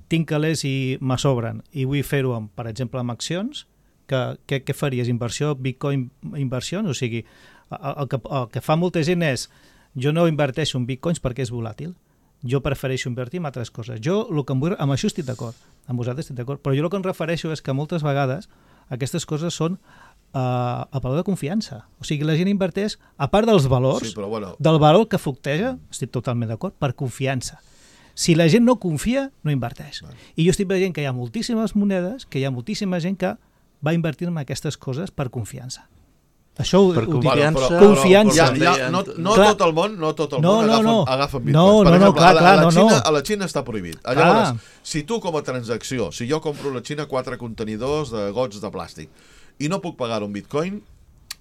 tinc calés i me sobren i vull fer-ho, per exemple, amb accions, que, que, què faries? Inversió, bitcoin, inversions? O sigui, el, el, que, el que fa molta gent és, jo no inverteixo en bitcoins perquè és volàtil, jo prefereixo invertir en altres coses. Jo, el que em vull, amb això estic d'acord, amb vosaltres estic d'acord, però jo el que em refereixo és que moltes vegades aquestes coses són Uh, a valor de confiança. O sigui, la gent inverteix, a part dels valors, sí, però bueno. del valor que flucteja, estic totalment d'acord, per confiança. Si la gent no confia, no inverteix. Vale. I jo estic veient que hi ha moltíssimes monedes, que hi ha moltíssima gent que va invertir en aquestes coses per confiança. Això ho, per ho confiança, dic. Però, confiança. Però, ja, ja, no no tot el món, no tot el no, món no, agafen, no. agafen bitcoins. No, no, per exemple, no, clar, a, la, clar, a, la no, Xina, no. a la Xina està prohibit. Llavors, si tu com a transacció, si jo compro a la Xina quatre contenidors de gots de plàstic i no puc pagar un bitcoin,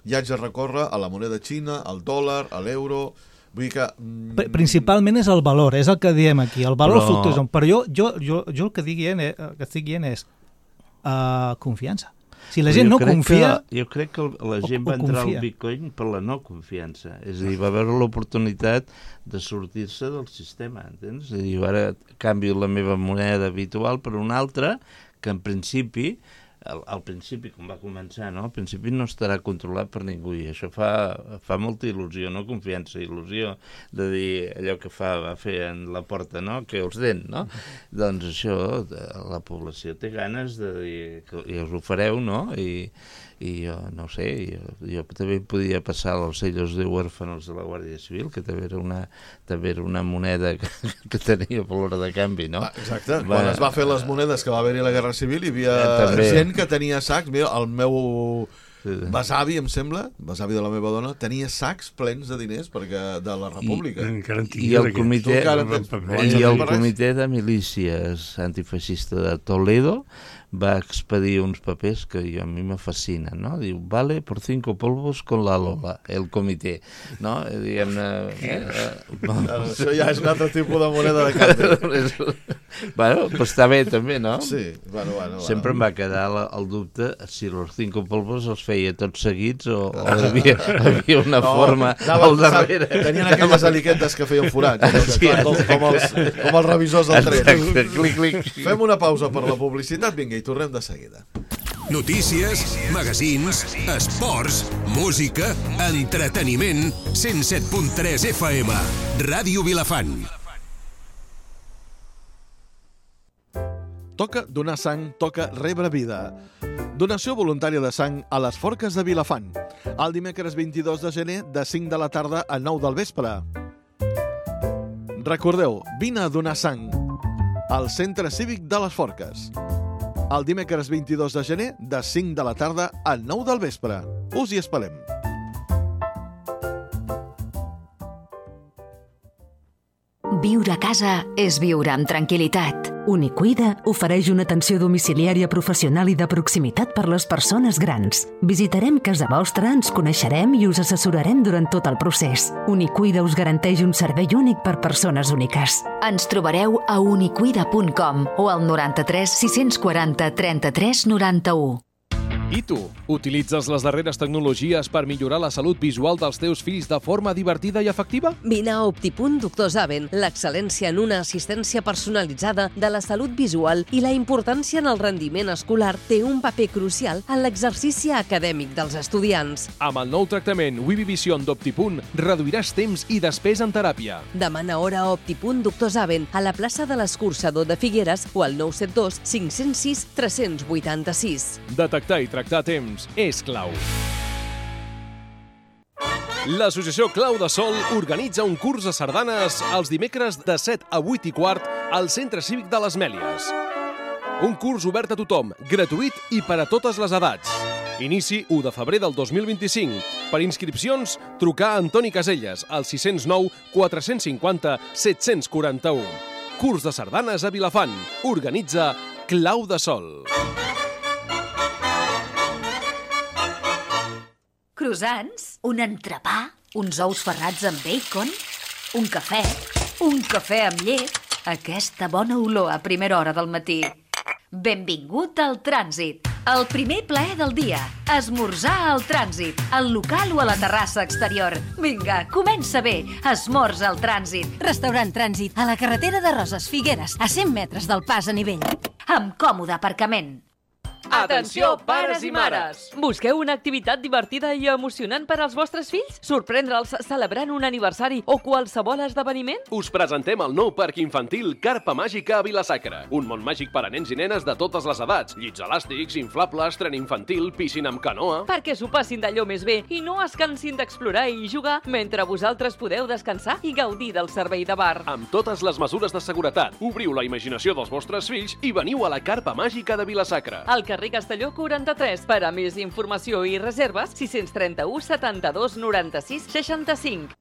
ja haig de recórrer a la moneda xina, al dòlar, a l'euro... Vull dir que... Mm... Principalment és el valor, és el que diem aquí, el valor però... fluctuació. Però jo, jo, jo, jo el que, dient, eh, que estic dient és uh, confiança. Si la gent no confia... Que, jo crec que la gent va entrar al bitcoin per la no confiança. És a dir, va veure l'oportunitat de sortir-se del sistema, entens? És a dir, ara canvio la meva moneda habitual per una altra que en principi al, al principi, com va començar, no? Al principi no estarà controlat per ningú i això fa, fa molta il·lusió, no? Confiança, il·lusió de dir allò que fa, va fer en la porta, no? Que els den, no? Doncs això, la població té ganes de dir que i us ho fareu, no? I, i jo, no sé, jo, jo també podia passar els sellos de huérfanos de la Guàrdia Civil, que també era una, també era una moneda que, que tenia valor de canvi, no? Ah, exacte, va, quan es va fer les monedes que va haver-hi la Guerra Civil hi havia també. gent que tenia sacs, mira, el meu besavi, em sembla, besavi de la meva dona, tenia sacs plens de diners perquè de la República. I, I el comitè, tens, i el comitè de milícies antifeixista de Toledo va expedir uns papers que jo, a mi me fascinen, no? Diu, vale por cinco polvos con la Lola, el comitè, no? Diguem-ne... Eh, eh, això ja és un altre tipus de moneda de canvi. Bueno, però està bé també, no? Sí, bueno, bueno. Sempre bueno. em va quedar la, el dubte si els cinco polvos els feia tots seguits o, o havia, havia una no, forma al darrere. Tenien aquelles aliquetes que feien forats, sí, com, com, els, com els revisors del tren. Exacte, clic, clic. Fem una pausa per la publicitat, vinga, i tornem de seguida. Notícies, magazins, esports, música, entreteniment, cent set punt tres F M, Ràdio Vilafant. Toca donar sang, toca rebre vida. Donació voluntària de sang a les Forques de Vilafant. El dimecres vint-i-dos de gener, de cinc de la tarda a nou del vespre. Recordeu, vine a donar sang al Centre Cívic de les Forques. El dimecres vint-i-dos de gener, de cinc de la tarda a nou del vespre. Us hi esperem. Viure a casa és viure amb tranquil·litat. Unicuida ofereix una atenció domiciliària professional i de proximitat per les persones grans. Visitarem casa vostra, ens coneixerem i us assessorarem durant tot el procés. Unicuida us garanteix un servei únic per persones úniques. Ens trobareu a unicuida punt com o al noranta-tres sis-cents quaranta trenta-tres noranta-u. I tu, utilitzes les darreres tecnologies per millorar la salut visual dels teus fills de forma divertida i efectiva? Vine a Optipunt Doctor Zaven, l'excel·lència en una assistència personalitzada de la salut visual i la importància en el rendiment escolar té un paper crucial en l'exercici acadèmic dels estudiants. Amb el nou tractament Wivivision d'Optipunt reduiràs temps i despesa en teràpia. Demana hora a Optipunt Doctor Zaven a la plaça de l'Escurçador de Figueres o al nou set dos cinc zero sis tres vuit sis. Detectar i tractar a temps és clau. L'Associació Clau de Sol organitza un curs de sardanes els dimecres de set a vuit i quart al Centre Cívic de les Mèlies. Un curs obert a tothom, gratuït i per a totes les edats. Inici u de febrer del dos mil vint-i-cinc. Per inscripcions, trucar a Antoni Caselles al sis zero nou quatre cinquanta set quaranta u. Curs de sardanes a Vilafant. Organitza Clau de Sol. Croissants, un entrepà, uns ous ferrats amb bacon, un cafè, un cafè amb llet, aquesta bona olor a primera hora del matí. Benvingut al Trànsit, el primer plaer del dia. Esmorzar al Trànsit, al local o a la terrassa exterior. Vinga, comença bé, esmorza al Trànsit. Restaurant Trànsit, a la carretera de Roses Figueres, a cent metres del pas a nivell. Amb còmode aparcament. Atenció, pares i mares! Busqueu una activitat divertida i emocionant per als vostres fills? Sorprendre'ls celebrant un aniversari o qualsevol esdeveniment? Us presentem el nou parc infantil Carpa Màgica a Vila-sacra. Un món màgic per a nens i nenes de totes les edats. Llits elàstics, inflables, tren infantil, piscina amb canoa... Perquè s'ho passin d'allò més bé i no es cansin d'explorar i jugar mentre vosaltres podeu descansar i gaudir del servei de bar. Amb totes les mesures de seguretat, obriu la imaginació dels vostres fills i veniu a la Carpa Màgica de Vila-sacra. Al carrer Castelló quaranta-tres. Per a més informació i reserves, sis tres u setanta-dos noranta-sis seixanta-cinc.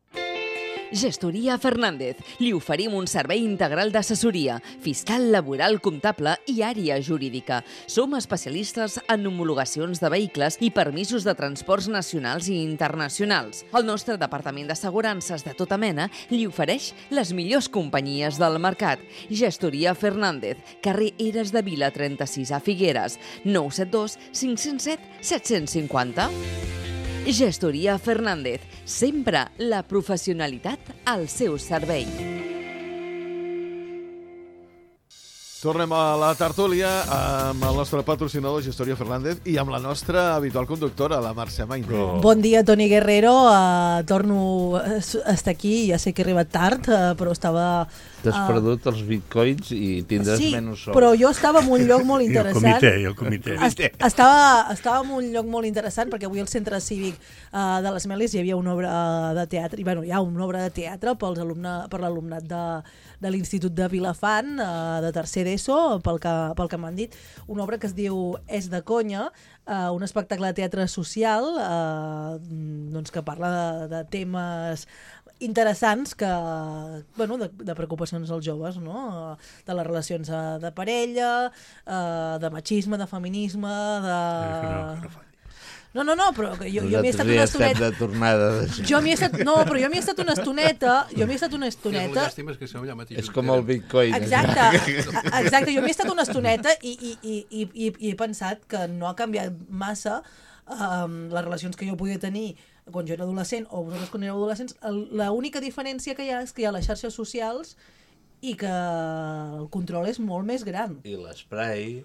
Gestoria Fernández. Li oferim un servei integral d'assessoria, fiscal, laboral, comptable i àrea jurídica. Som especialistes en homologacions de vehicles i permisos de transports nacionals i internacionals. El nostre departament d'assegurances de tota mena li ofereix les millors companyies del mercat. Gestoria Fernández, carrer Eres de Vila trenta-sis a Figueres, nou set dos cinc zero set set cinquanta. Gestoria Fernández, sempre la professionalitat al seu servei. Tornem a la tertúlia amb el nostre patrocinador Gestoria Fernández i amb la nostra habitual conductora, la Mercè Maine. Oh. Bon dia, Toni Guerrero. Uh, torno a estar aquí. Ja sé que he arribat tard, uh, però estava... T'has uh... perdut els bitcoins i tindràs sí, menys sou. Però jo estava en un lloc molt interessant. I el comitè, i el comitè. Est estava, estava en un lloc molt interessant perquè avui al Centre Cívic uh, de les Mèlies hi havia una obra de teatre, i bueno, hi ha una obra de teatre pels alumne, per l'alumnat de, de l'Institut de Vilafant, uh, de tercer d'ESO, pel que, pel que m'han dit, una obra que es diu És de conya, uh, un espectacle de teatre social uh, doncs que parla de, de temes interessants que, bueno, de, de preocupacions als joves, no? De les relacions de parella, de machisme, de feminisme, de... No, no, no, però jo, jo m'hi he estat una estoneta... de tornada. Jo m'hi he estat... No, però jo m'hi he estat una estoneta... Jo m'hi he estat una estoneta... És com el bitcoin. Exacte, exacte. Jo m'hi he estat una estoneta i, i, i, i, i, i he pensat que no ha canviat massa um, les relacions que jo podia tenir quan jo era adolescent o vosaltres quan éreu adolescents. L'única diferència que hi ha és que hi ha les xarxes socials i que el control és molt més gran. I l'esprai,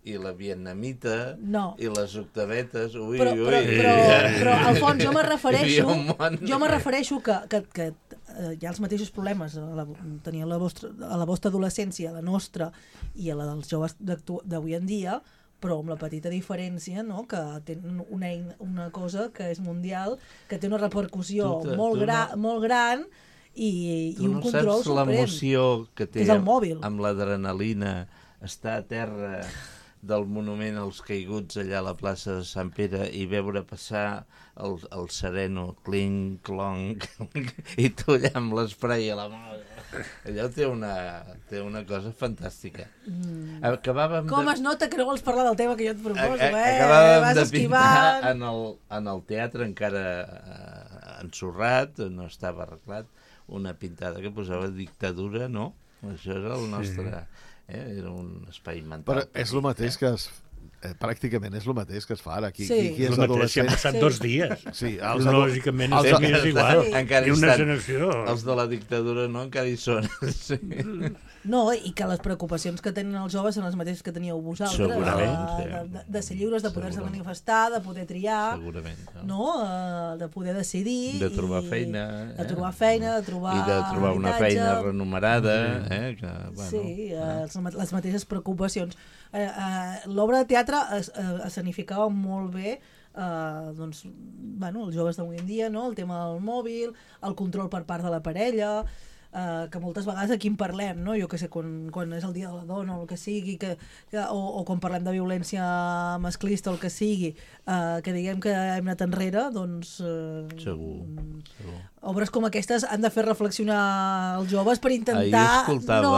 i la vietnamita, no. I les octavetes, ui, però, ui. Però, però, però, Alfons, jo me refereixo, jo me refereixo que, que, que eh, hi ha els mateixos problemes a la, tenia la vostra, a la vostra adolescència, a la nostra i a la dels joves d'avui en dia, però amb la petita diferència, no? Que tenen una, una cosa que és mundial, que té una repercussió tu, tu, molt, tu gra, no, molt gran i, i un no control suprem. Tu no saps l'emoció que té és el mòbil. Amb l'adrenalina, estar a terra del monument als caiguts allà a la plaça de Sant Pere i veure passar el, el sereno, clink, clonc, i tu allà amb l'esprai a la mà. Allò té una, té una cosa fantàstica. Mm. Acabàvem Com de... es nota que no vols parlar del tema que jo et proposo, eh? Acabàvem Vas de esquivant. pintar en el, en el teatre encara eh, ensorrat, no estava arreglat, una pintada que posava dictadura, no? Això era el nostre... Sí. Eh? Era un espai mental. Però és el mateix que es... Eh, pràcticament és el mateix que es fa ara. Qui, sí. qui, qui és adolescent... Han passat sí. dos dies. Sí, els Lògicament els, els, és igual. Sí. Encara I una estan, generació. Els de la dictadura no, encara hi són. Sí. No, i que les preocupacions que tenen els joves són les mateixes que teníeu vosaltres. Segurament, de, sí. de, de, de ser lliures, de poder-se manifestar, de poder triar, segurament, no? No? Uh, de poder decidir. De trobar i, feina. Eh? De trobar feina, de trobar I de trobar una habitatge. feina renumerada. Eh? Que, bueno, sí, uh, eh? les mateixes preocupacions. Uh, uh, L'obra de teatre es, uh, escenificava molt bé uh, doncs, bueno, els joves d'avui en dia, no? El tema del mòbil, el control per part de la parella... Uh, que moltes vegades aquí en parlem, no? Jo que sé, quan, quan és el dia de la dona o el que sigui, que, que, o, o quan parlem de violència masclista o el que sigui, uh, que diguem que hem anat enrere, doncs... Uh, segur, segur. Obres com aquestes han de fer reflexionar els joves per intentar escoltava, no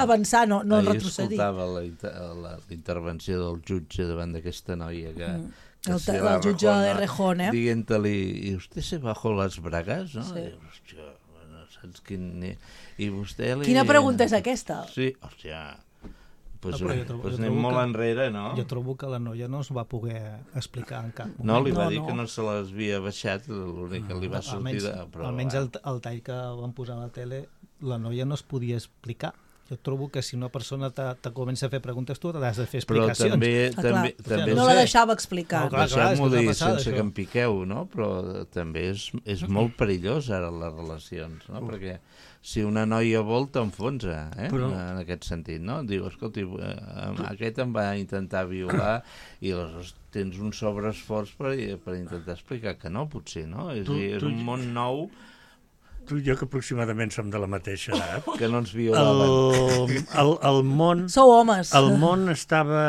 avançar, no, no ahir retrocedir. Ahir escoltava la, la intervenció del jutge davant d'aquesta noia que... Mm. El, el, el jutge de Rejón, eh? Dient-li, ¿y usted se bajó las bragas? No? Sí. I, hòstia, saps quin... I vostè li... Quina pregunta és aquesta? Sí, hòstia... Pues, no, eh, trobo, pues anem molt que, enrere, no? Jo trobo que la noia no es va poder explicar en cap moment. No, li va no, dir no. que no se les havia baixat, l'únic que li va sortir... Almenys, de... Però, almenys el, el tall que van posar a la tele, la noia no es podia explicar. Jo trobo que si una persona te, te comença a fer preguntes, tu t'has de fer explicacions. Però també... Ah, també, també no la deixava explicar. No, clar, clar, deixeu-m'ho dir passada, sense això. que em piqueu, no? Però també és, és molt perillós ara les relacions, no? Perquè si una noia vol t'enfonsa, eh? Però... en aquest sentit, no? Diu, escolti, eh, aquest em va intentar violar i aleshores tens un sobreesforç per, per intentar explicar que no, potser, no? És, tu, és tu... un món nou. Tu i jo, que aproximadament som de la mateixa edat, que no ens violaven. El, el, el món... Sou homes. El món estava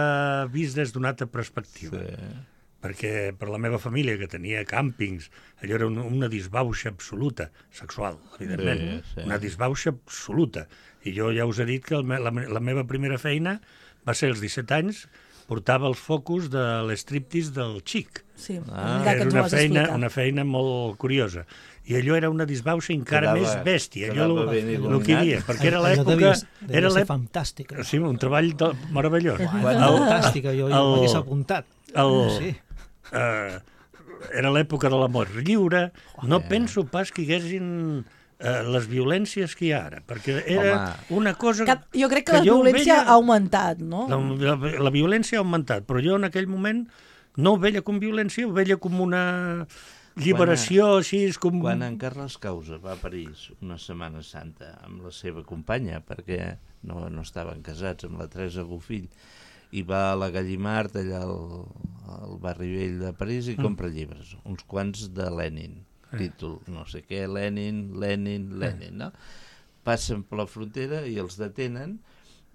vist des d'una altra perspectiva. Sí. Perquè per la meva família, que tenia càmpings, allò era una, una disbauxa absoluta, sexual, evidentment, sí, sí. una disbauxa absoluta. I jo ja us he dit que el, la, la meva primera feina va ser als disset anys, portava els focus de l'striptease del Xic. Sí, ah, era una feina, una feina molt curiosa. I allò era una disbauxa encara quedava, més bèstia. Allò el, el que hi havia, perquè era allò l'època... Devia, devia era ser fantàstica. Sí, un treball de, meravellós. Bueno, el, fantàstica, jo ja m'hagués apuntat. El, sí. uh, era l'època de l'amor lliure. No penso pas que hi haguessin eh, les violències que hi ha ara, perquè era Home. una cosa... Que, jo crec que, que la violència veia, ha augmentat, no? La, la, la violència ha augmentat, però jo en aquell moment no ho veia com violència, ho veia com una lliberació, quan, així... Com... Quan en Carles Causa va a París una Setmana Santa amb la seva companya, perquè no, no estaven casats, amb la Teresa Bofill, i va a la Gallimard, allà al, al barri vell de París, i compra llibres, uns quants de Lenin, títol, no sé què, Lenin, Lenin, Lenin, no? Passen per la frontera i els detenen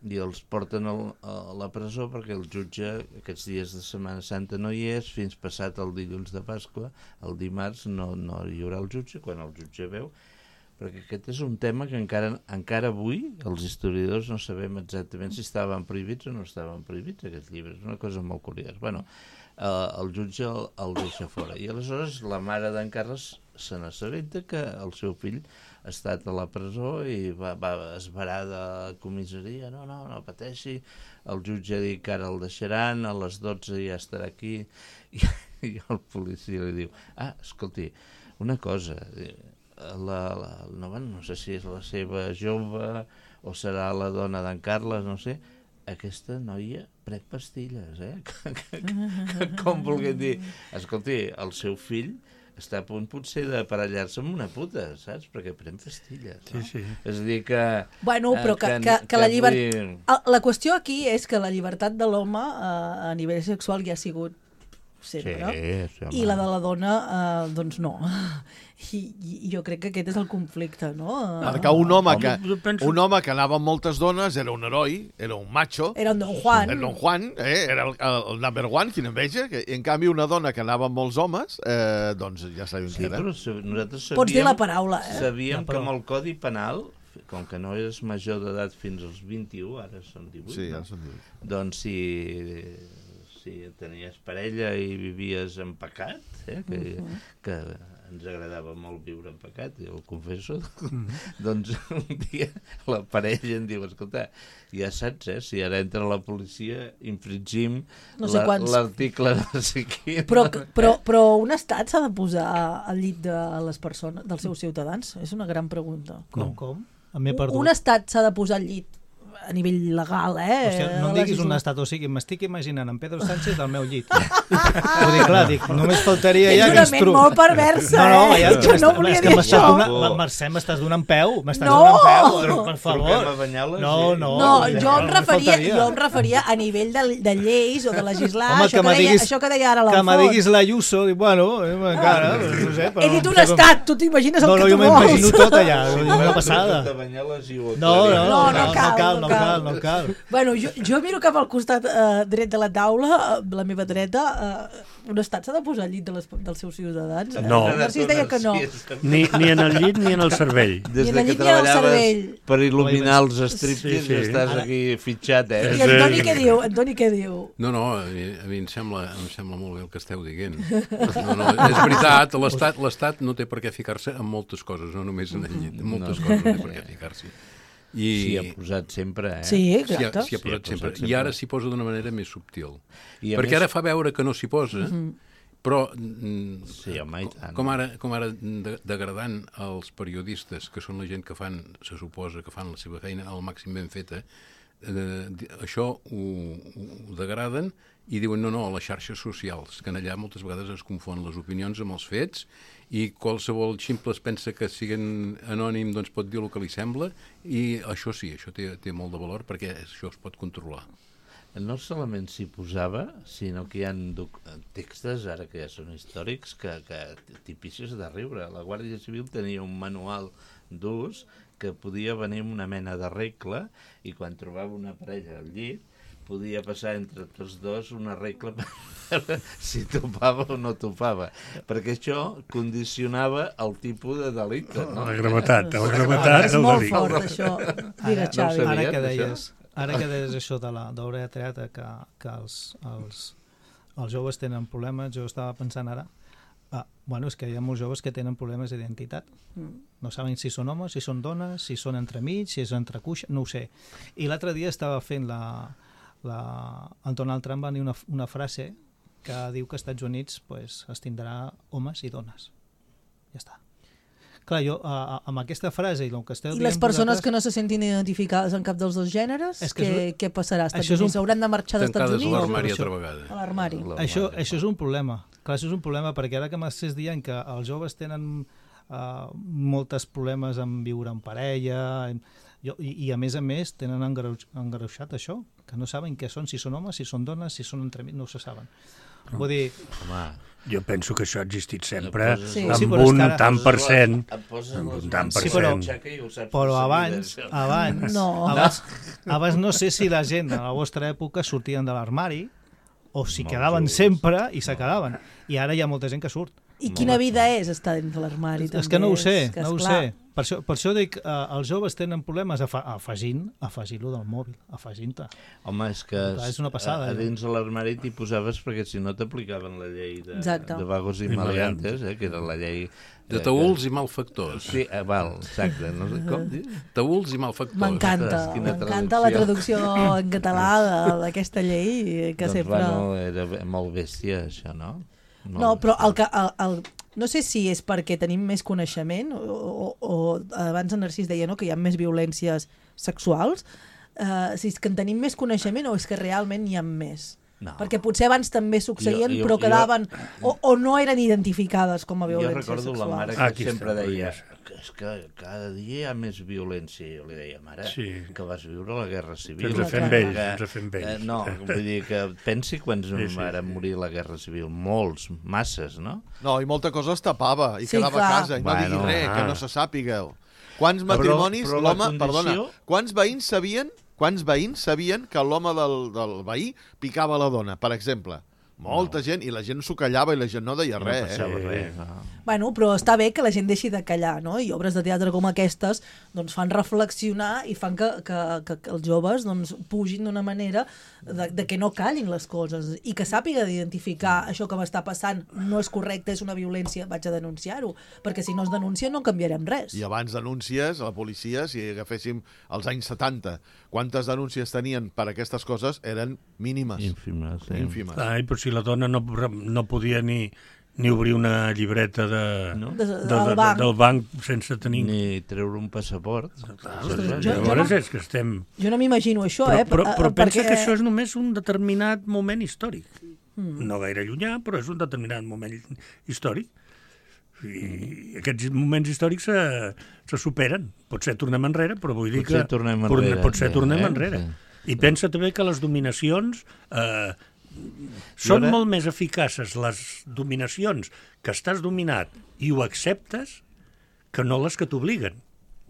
i els porten al, a la presó perquè el jutge aquests dies de Setmana Santa no hi és, fins passat el dilluns de Pasqua, el dimarts no, no hi haurà el jutge, quan el jutge veu, perquè aquest és un tema que encara, encara avui els historiadors no sabem exactament si estaven prohibits o no estaven prohibits aquests llibres, una cosa molt curiosa. Bueno, eh, el jutge el, el deixa fora i aleshores la mare d'en Carles se n'assabenta que el seu fill ha estat a la presó i va, va esverar de la comissaria, no, no, no pateixi, el jutge ha dit que ara el deixaran, a les dotze ja estarà aquí, i, i el policia li diu, ah, escolti, una cosa, la, la, no, no sé si és la seva jove o serà la dona d'en Carles, no sé, aquesta noia pren pastilles, eh? Com vulguem dir, escolti, el seu fill està a punt potser d'aparellar-se amb una puta, saps? Perquè pren pastilles, no? Sí, sí. És a dir que... Bueno, però que, que, que, que la llibertat... La qüestió aquí és que la llibertat de l'home eh, a nivell sexual ja ha sigut sempre, sí, sí, i la de la dona, eh, doncs no. I, I jo crec que aquest és el conflicte, no? Perquè un home, que, un home que anava amb moltes dones era un heroi, era un macho. Era un Don Juan. Era Don Juan, eh? Era el, el, el number one, quina enveja. Que, en canvi, una dona que anava amb molts homes, eh, doncs ja sabíem sí, què era. Però nosaltres sabíem, pots dir la paraula, eh? Sabíem que amb el Codi Penal, com que no eres major d'edat fins als vint-i-u, ara són divuit, sí, no? Ara són divuit. Doncs si... si tenies parella i vivies en pecat, eh, que, uh-huh. que ens agradava molt viure en pecat, jo ho confesso, uh-huh. doncs un dia la parella em diu, escolta, ja saps, eh, si ara entra la policia, infringim no sé la, l'article de Siquim. Però, però, però un estat s'ha de posar al llit de les persones, dels seus ciutadans? És una gran pregunta. Com? Com? M'he perdut. Un estat s'ha de posar al llit a nivell legal, eh? O sigui, no em diguis un estat, o sigui, m'estic imaginant en Pedro Sánchez al meu llit. Vull dir, clar, dic, només faltaria ja que ens trobem... És una ment molt perversa, no, no, ja, eh? Jo no volia dir això. Donant, Mercè, m'estàs donant peu, m'estàs no! donant peu, per favor. No, no, no, jo em referia, jo em referia a nivell de, de lleis o de legislar, home, això, que, que deia, diguis, això que deia ara l'Alfons. Que me diguis la Ayuso, dic, bueno, encara, no sé. He dit un estat, tu t'imagines el que tu vols. No, no, jo m'imagino tot allà, una passada. No, no, no cal, no cal, no cal. Bueno, jo, jo miro cap al costat eh, dret de la taula, eh, la meva dreta, eh, un estat s'ha de posar al llit de les, dels seus ciutadans? No. Eh? Narcís deia que no. Ni, ni en el llit ni en el cervell. Des de que treballaves per il·luminar els striptease, sí, sí. Estàs aquí fitxat, eh? I Antoni què diu? Antoni què diu? No, no, a mi, a mi em, sembla, em sembla molt bé el que esteu dient. No, no, és veritat, l'Estat l'Estat no té per què ficar-se en moltes coses, no només en el llit, en moltes no. coses no té per què ficar-s'hi. I... S'hi ha posat sempre, eh? Sí, exacte. S'hi ha, ha, posat sempre. I ara s'hi posa d'una manera més subtil. Perquè més... ara fa veure que no s'hi posa, mm-hmm. però mm, sí, home, com ara, com ara de, degradant els periodistes, que són la gent que fan, se suposa que fan la seva feina al màxim ben feta, eh, això ho, ho degraden i diuen no, no, a les xarxes socials, que en allà moltes vegades es confon les opinions amb els fets i qualsevol ximple es pensa que siguin anònim doncs pot dir el que li sembla i això sí, això té, té molt de valor perquè això es pot controlar. No solament s'hi posava, sinó que hi ha textos, ara que ja són històrics, que, que tipicis de riure. La Guàrdia Civil tenia un manual d'ús que podia venir amb una mena de regla i quan trobava una parella al llit podia passar entre tots dos una regla per veure si topava o no topava, perquè això condicionava el tipus de delicte. No? La gravetat, la gravetat és molt fort, això. Digue, Xavi. Ara que deies, ara que deies això de l'obra de teatre, que, que els, els, els joves tenen problemes, jo estava pensant ara, ah, bueno, és que hi ha molts joves que tenen problemes d'identitat. No saben si són homes, si són dones, si són entremig, si és entrecuixa, no ho sé. I l'altre dia estava fent la... La, el Donald Trump va dir una, una frase que diu que als Estats Units pues, es tindrà homes i dones. Ja està. clar, jo, a, a, amb aquesta frase... I, que esteu I les persones vosaltres... que no se sentin identificades en cap dels dos gèneres, que què, és... què passarà? Estats Units? Un... Hauran de marxar dels Estats Units? Tancades a l'armari altra vegada. A l'armari. Això, això és un problema. Clar, això és un problema, perquè ara que m'estàs dient que els joves tenen uh, molts problemes en viure en parella... En... Jo, i, i a més a més tenen engreuixat això, que no saben què són, si són homes, si són dones, si són entremig, no ho se saben. Però, Vull dir... Home, jo penso que això ha existit sempre, sí. amb sí, un ara... tant per cent. Amb un tant per sí, però, cent. però abans, abans, no. abans, abans no sé si la gent a la vostra època sortien de l'armari o si Molt quedaven just. sempre i se quedaven. I ara hi ha molta gent que surt. I quina vida és estar dins de l'armari? És que no ho sé, no ho sé. Per això, per això dic, eh, els joves tenen problemes afa afegint, afegint-lo del mòbil, afegint-te. Home, és que és una passada, a, a dins de l'armari t'hi posaves perquè si no t'aplicaven la llei de, de vagos i I maleantes, eh, que era la llei... De taüls i malfactors. Sí, eh, val, exacte. No sé com dir. Taüls i malfactors. M'encanta, m'encanta la traducció en català d'aquesta llei, que doncs, sempre... Bueno, era molt bèstia, això, no? No, no però el que... El, el, no sé si és perquè tenim més coneixement o, o, o abans en Narcís deia no, que hi ha més violències sexuals, uh, si és que en tenim més coneixement o és que realment n'hi ha més. No. Perquè potser abans també succeïen, jo, jo, però quedaven... Jo, o, o no eren identificades com a violències sexuals. Jo recordo la mare que Aquí sempre deia que és que cada dia hi ha més violència. Jo li deia, mare, sí. que vas viure la Guerra Civil. Ens fem vells, ens fem vells. Eh, no, vull dir que pensi quants sí, sí, van morir a la Guerra Civil. Molts, masses, no? No, i molta cosa es tapava i sí, quedava clar. a casa i no bueno, digui res, ah. que no se sàpigueu. Quants matrimonis, l'home, condició... perdona, quants veïns sabien Quants veïns sabien que l'home del, del veí picava la dona, per exemple? Molta no. gent, i la gent s'ho callava i la gent no deia no res. No eh? res. No. Bueno, però està bé que la gent deixi de callar, no? I obres de teatre com aquestes doncs, fan reflexionar i fan que, que, que, que els joves doncs, pugin d'una manera de, de que no callin les coses i que sàpiga d'identificar això que m'està passant no és correcte, és una violència, vaig a denunciar-ho, perquè si no es denuncia no canviarem res. I abans denúncies a la policia, si agaféssim els anys setanta, quantes denúncies tenien per aquestes coses eren mínimes. Ínfimes. Sí. Ínfimes. Ai, però si la dona no, no podia ni, ni obrir una llibreta de, no? de, de, de, banc. del banc sense tenir... Ni treure un passaport. Ah, jo, Llavors no, és que estem... Jo no m'imagino això, però, eh? Però, però perquè... pensa que això és només un determinat moment històric. Mm. No gaire llunyà, però és un determinat moment històric. I aquests moments històrics se, se superen. Potser tornem enrere, però vull dir potser que... Tornem enrere, potser eh? tornem eh? enrere. Sí. I pensa també que les dominacions... Eh, són ara... molt més eficaces les dominacions que estàs dominat i ho acceptes que no les que t'obliguen.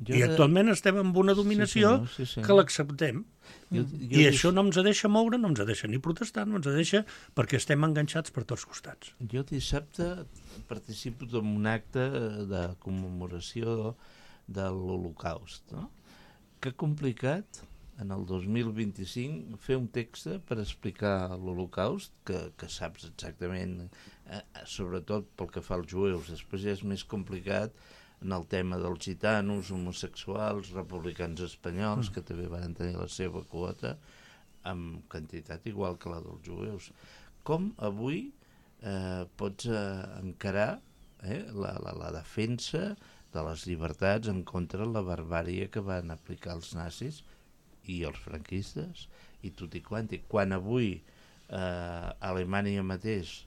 Jo I actualment de... estem amb una dominació sí, sí, no, sí, sí. que l'acceptem. Jo, jo I dis... això no ens deixa moure, no ens deixa ni protestar, no ens deixa perquè estem enganxats per tots costats. Jo dissabte participo en un acte de commemoració de l'Holocaust. No? Que complicat en el dos mil vint-i-cinc fer un text per explicar l'Holocaust, que, que saps exactament, eh, sobretot pel que fa als jueus. Després ja és més complicat en el tema dels gitanos, homosexuals, republicans espanyols, mm. que també van tenir la seva quota, amb quantitat igual que la dels jueus. Com avui eh, pots eh, encarar eh, la, la, la defensa de les llibertats en contra de la barbària que van aplicar els nazis i els franquistes, i tot i quanti. Quan avui eh, Alemanya mateix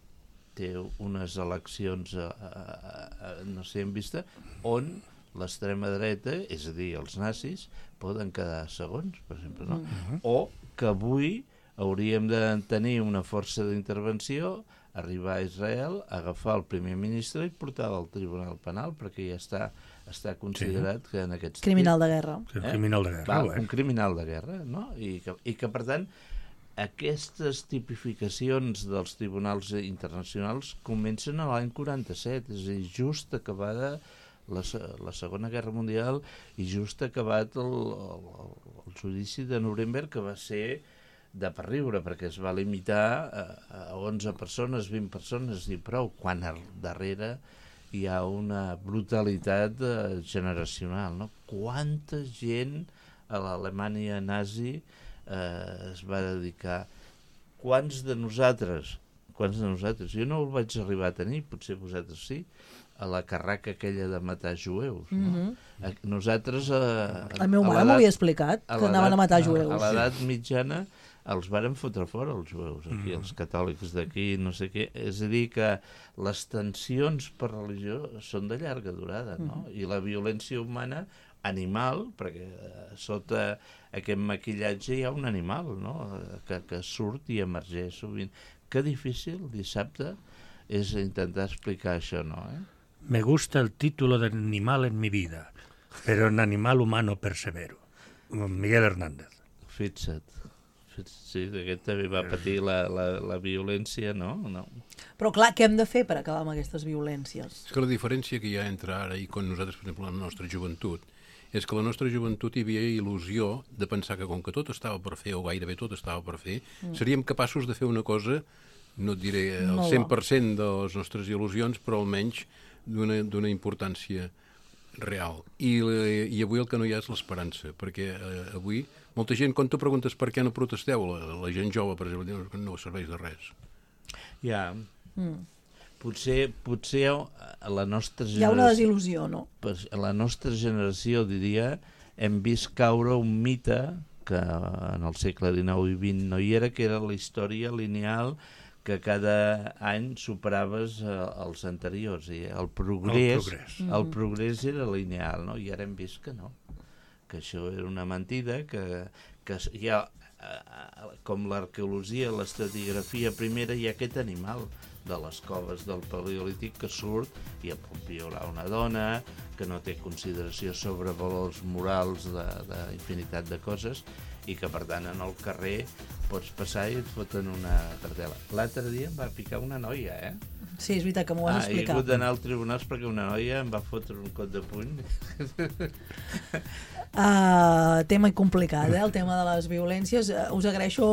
té unes eleccions eh, eh, no sé en vista, on l'extrema dreta, és a dir, els nazis, poden quedar segons, per exemple, no? Uh-huh. O que avui hauríem de tenir una força d'intervenció, arribar a Israel, agafar el primer ministre i portar-lo al Tribunal Penal, perquè ja està està considerat sí. que en aquests... Criminal de guerra. Eh? Criminal de guerra. Va, un criminal de guerra, no? I que, i que, per tant, aquestes tipificacions dels tribunals internacionals comencen a l'any quaranta-set, és a dir, just acabada la, la Segona Guerra Mundial i just acabat el, el, el judici de Nuremberg, que va ser de per riure, perquè es va limitar a, a onze persones, vint persones, i prou, quan al darrere hi ha una brutalitat eh, generacional, no? Quanta gent a l'Alemanya nazi eh, es va dedicar? Quants de nosaltres, quants de nosaltres, jo no el vaig arribar a tenir, potser vosaltres sí, a la carraca aquella de matar jueus. No? Mm-hmm. Nosaltres... A, el meu mare m'ho havia explicat, que anaven a matar jueus. A l'edat mitjana els varen fotre fora, els jueus, aquí, mm. els catòlics d'aquí, no sé què. És a dir, que les tensions per religió són de llarga durada, no? Mm. I la violència humana, animal, perquè sota aquest maquillatge hi ha un animal, no? Que, que surt i emergeix sovint. Que difícil, dissabte, és intentar explicar això, no? Eh? Me gusta el título de animal en mi vida, pero en animal humano persevero. Miguel Hernández. Fixa't. Sí, aquest també va patir la, la, la violència, no? no? Però clar, què hem de fer per acabar amb aquestes violències? És que la diferència que hi ha entre ara i quan nosaltres, per exemple, la nostra joventut, és que la nostra joventut hi havia il·lusió de pensar que com que tot estava per fer, o gairebé tot estava per fer, mm. seríem capaços de fer una cosa, no et diré el cent per cent de les nostres il·lusions, però almenys d'una importància real. I, I avui el que no hi ha és l'esperança, perquè eh, avui molta gent, quan tu preguntes per què no protesteu, la, la gent jove, per exemple, diu que no serveix de res. Ja, mm. potser, potser a la nostra generació... Hi ha una desil·lusió, no? A la nostra generació, diria, hem vist caure un mite que en el segle dinou i vint no hi era, que era la història lineal que cada any superaves eh, els anteriors. I el progrés, el progrés. El progrés era lineal, no? I ara hem vist que no. Que això era una mentida, que, que hi ha, eh, com l'arqueologia, l'estratigrafia primera, hi ha aquest animal de les coves del Paleolític que surt i pot violar una dona, que no té consideració sobre valors morals d'infinitat de, de coses, i que, per tant, en el carrer pots passar i et foten una cartela. L'altre dia em va picar una noia, eh? Sí, és veritat que m'ho has ah, explicat. He hagut d'anar als tribunals perquè una noia em va fotre un cop de puny. Uh, tema complicat, eh? El tema de les violències. Uh, us agraeixo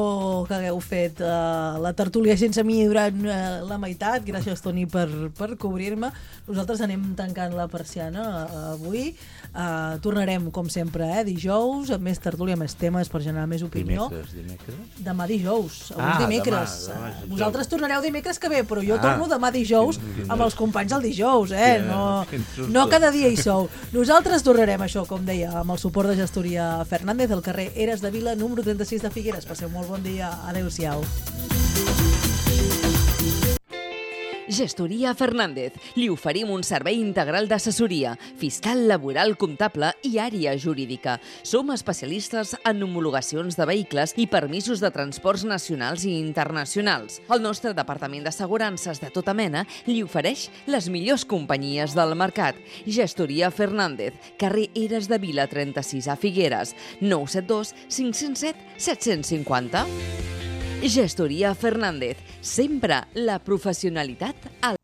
que hagueu fet uh, la tertúlia sense mi durant uh, la meitat. Gràcies, Toni, per, per cobrir-me. Nosaltres anem tancant la persiana uh, avui. Uh, tornarem, com sempre, eh? dijous, amb més tertúlia, més temes per generar més opinió. Dimecres, dimecres? Demà dijous, avui ah, dimecres. Demà, demà Vosaltres tornareu dimecres que ve, però jo ah, torno demà dijous quin, quin amb els companys del dijous, eh? No, no cada dia hi sou. Nosaltres tornarem, això, com deia, amb el suport de Gestoria Fernández, al carrer Eres de Vila, número trenta-sis de Figueres. Passeu molt bon dia. Adéu-siau. Gestoria Fernández. Li oferim un servei integral d'assessoria, fiscal, laboral, comptable i àrea jurídica. Som especialistes en homologacions de vehicles i permisos de transports nacionals i internacionals. El nostre departament d'assegurances de tota mena li ofereix les millors companyies del mercat. Gestoria Fernández, carrer Eres de Vila trenta-sis a Figueres, nou set dos cinc zero set set cinc zero. Gestoria Fernández, sempre la professionalitat al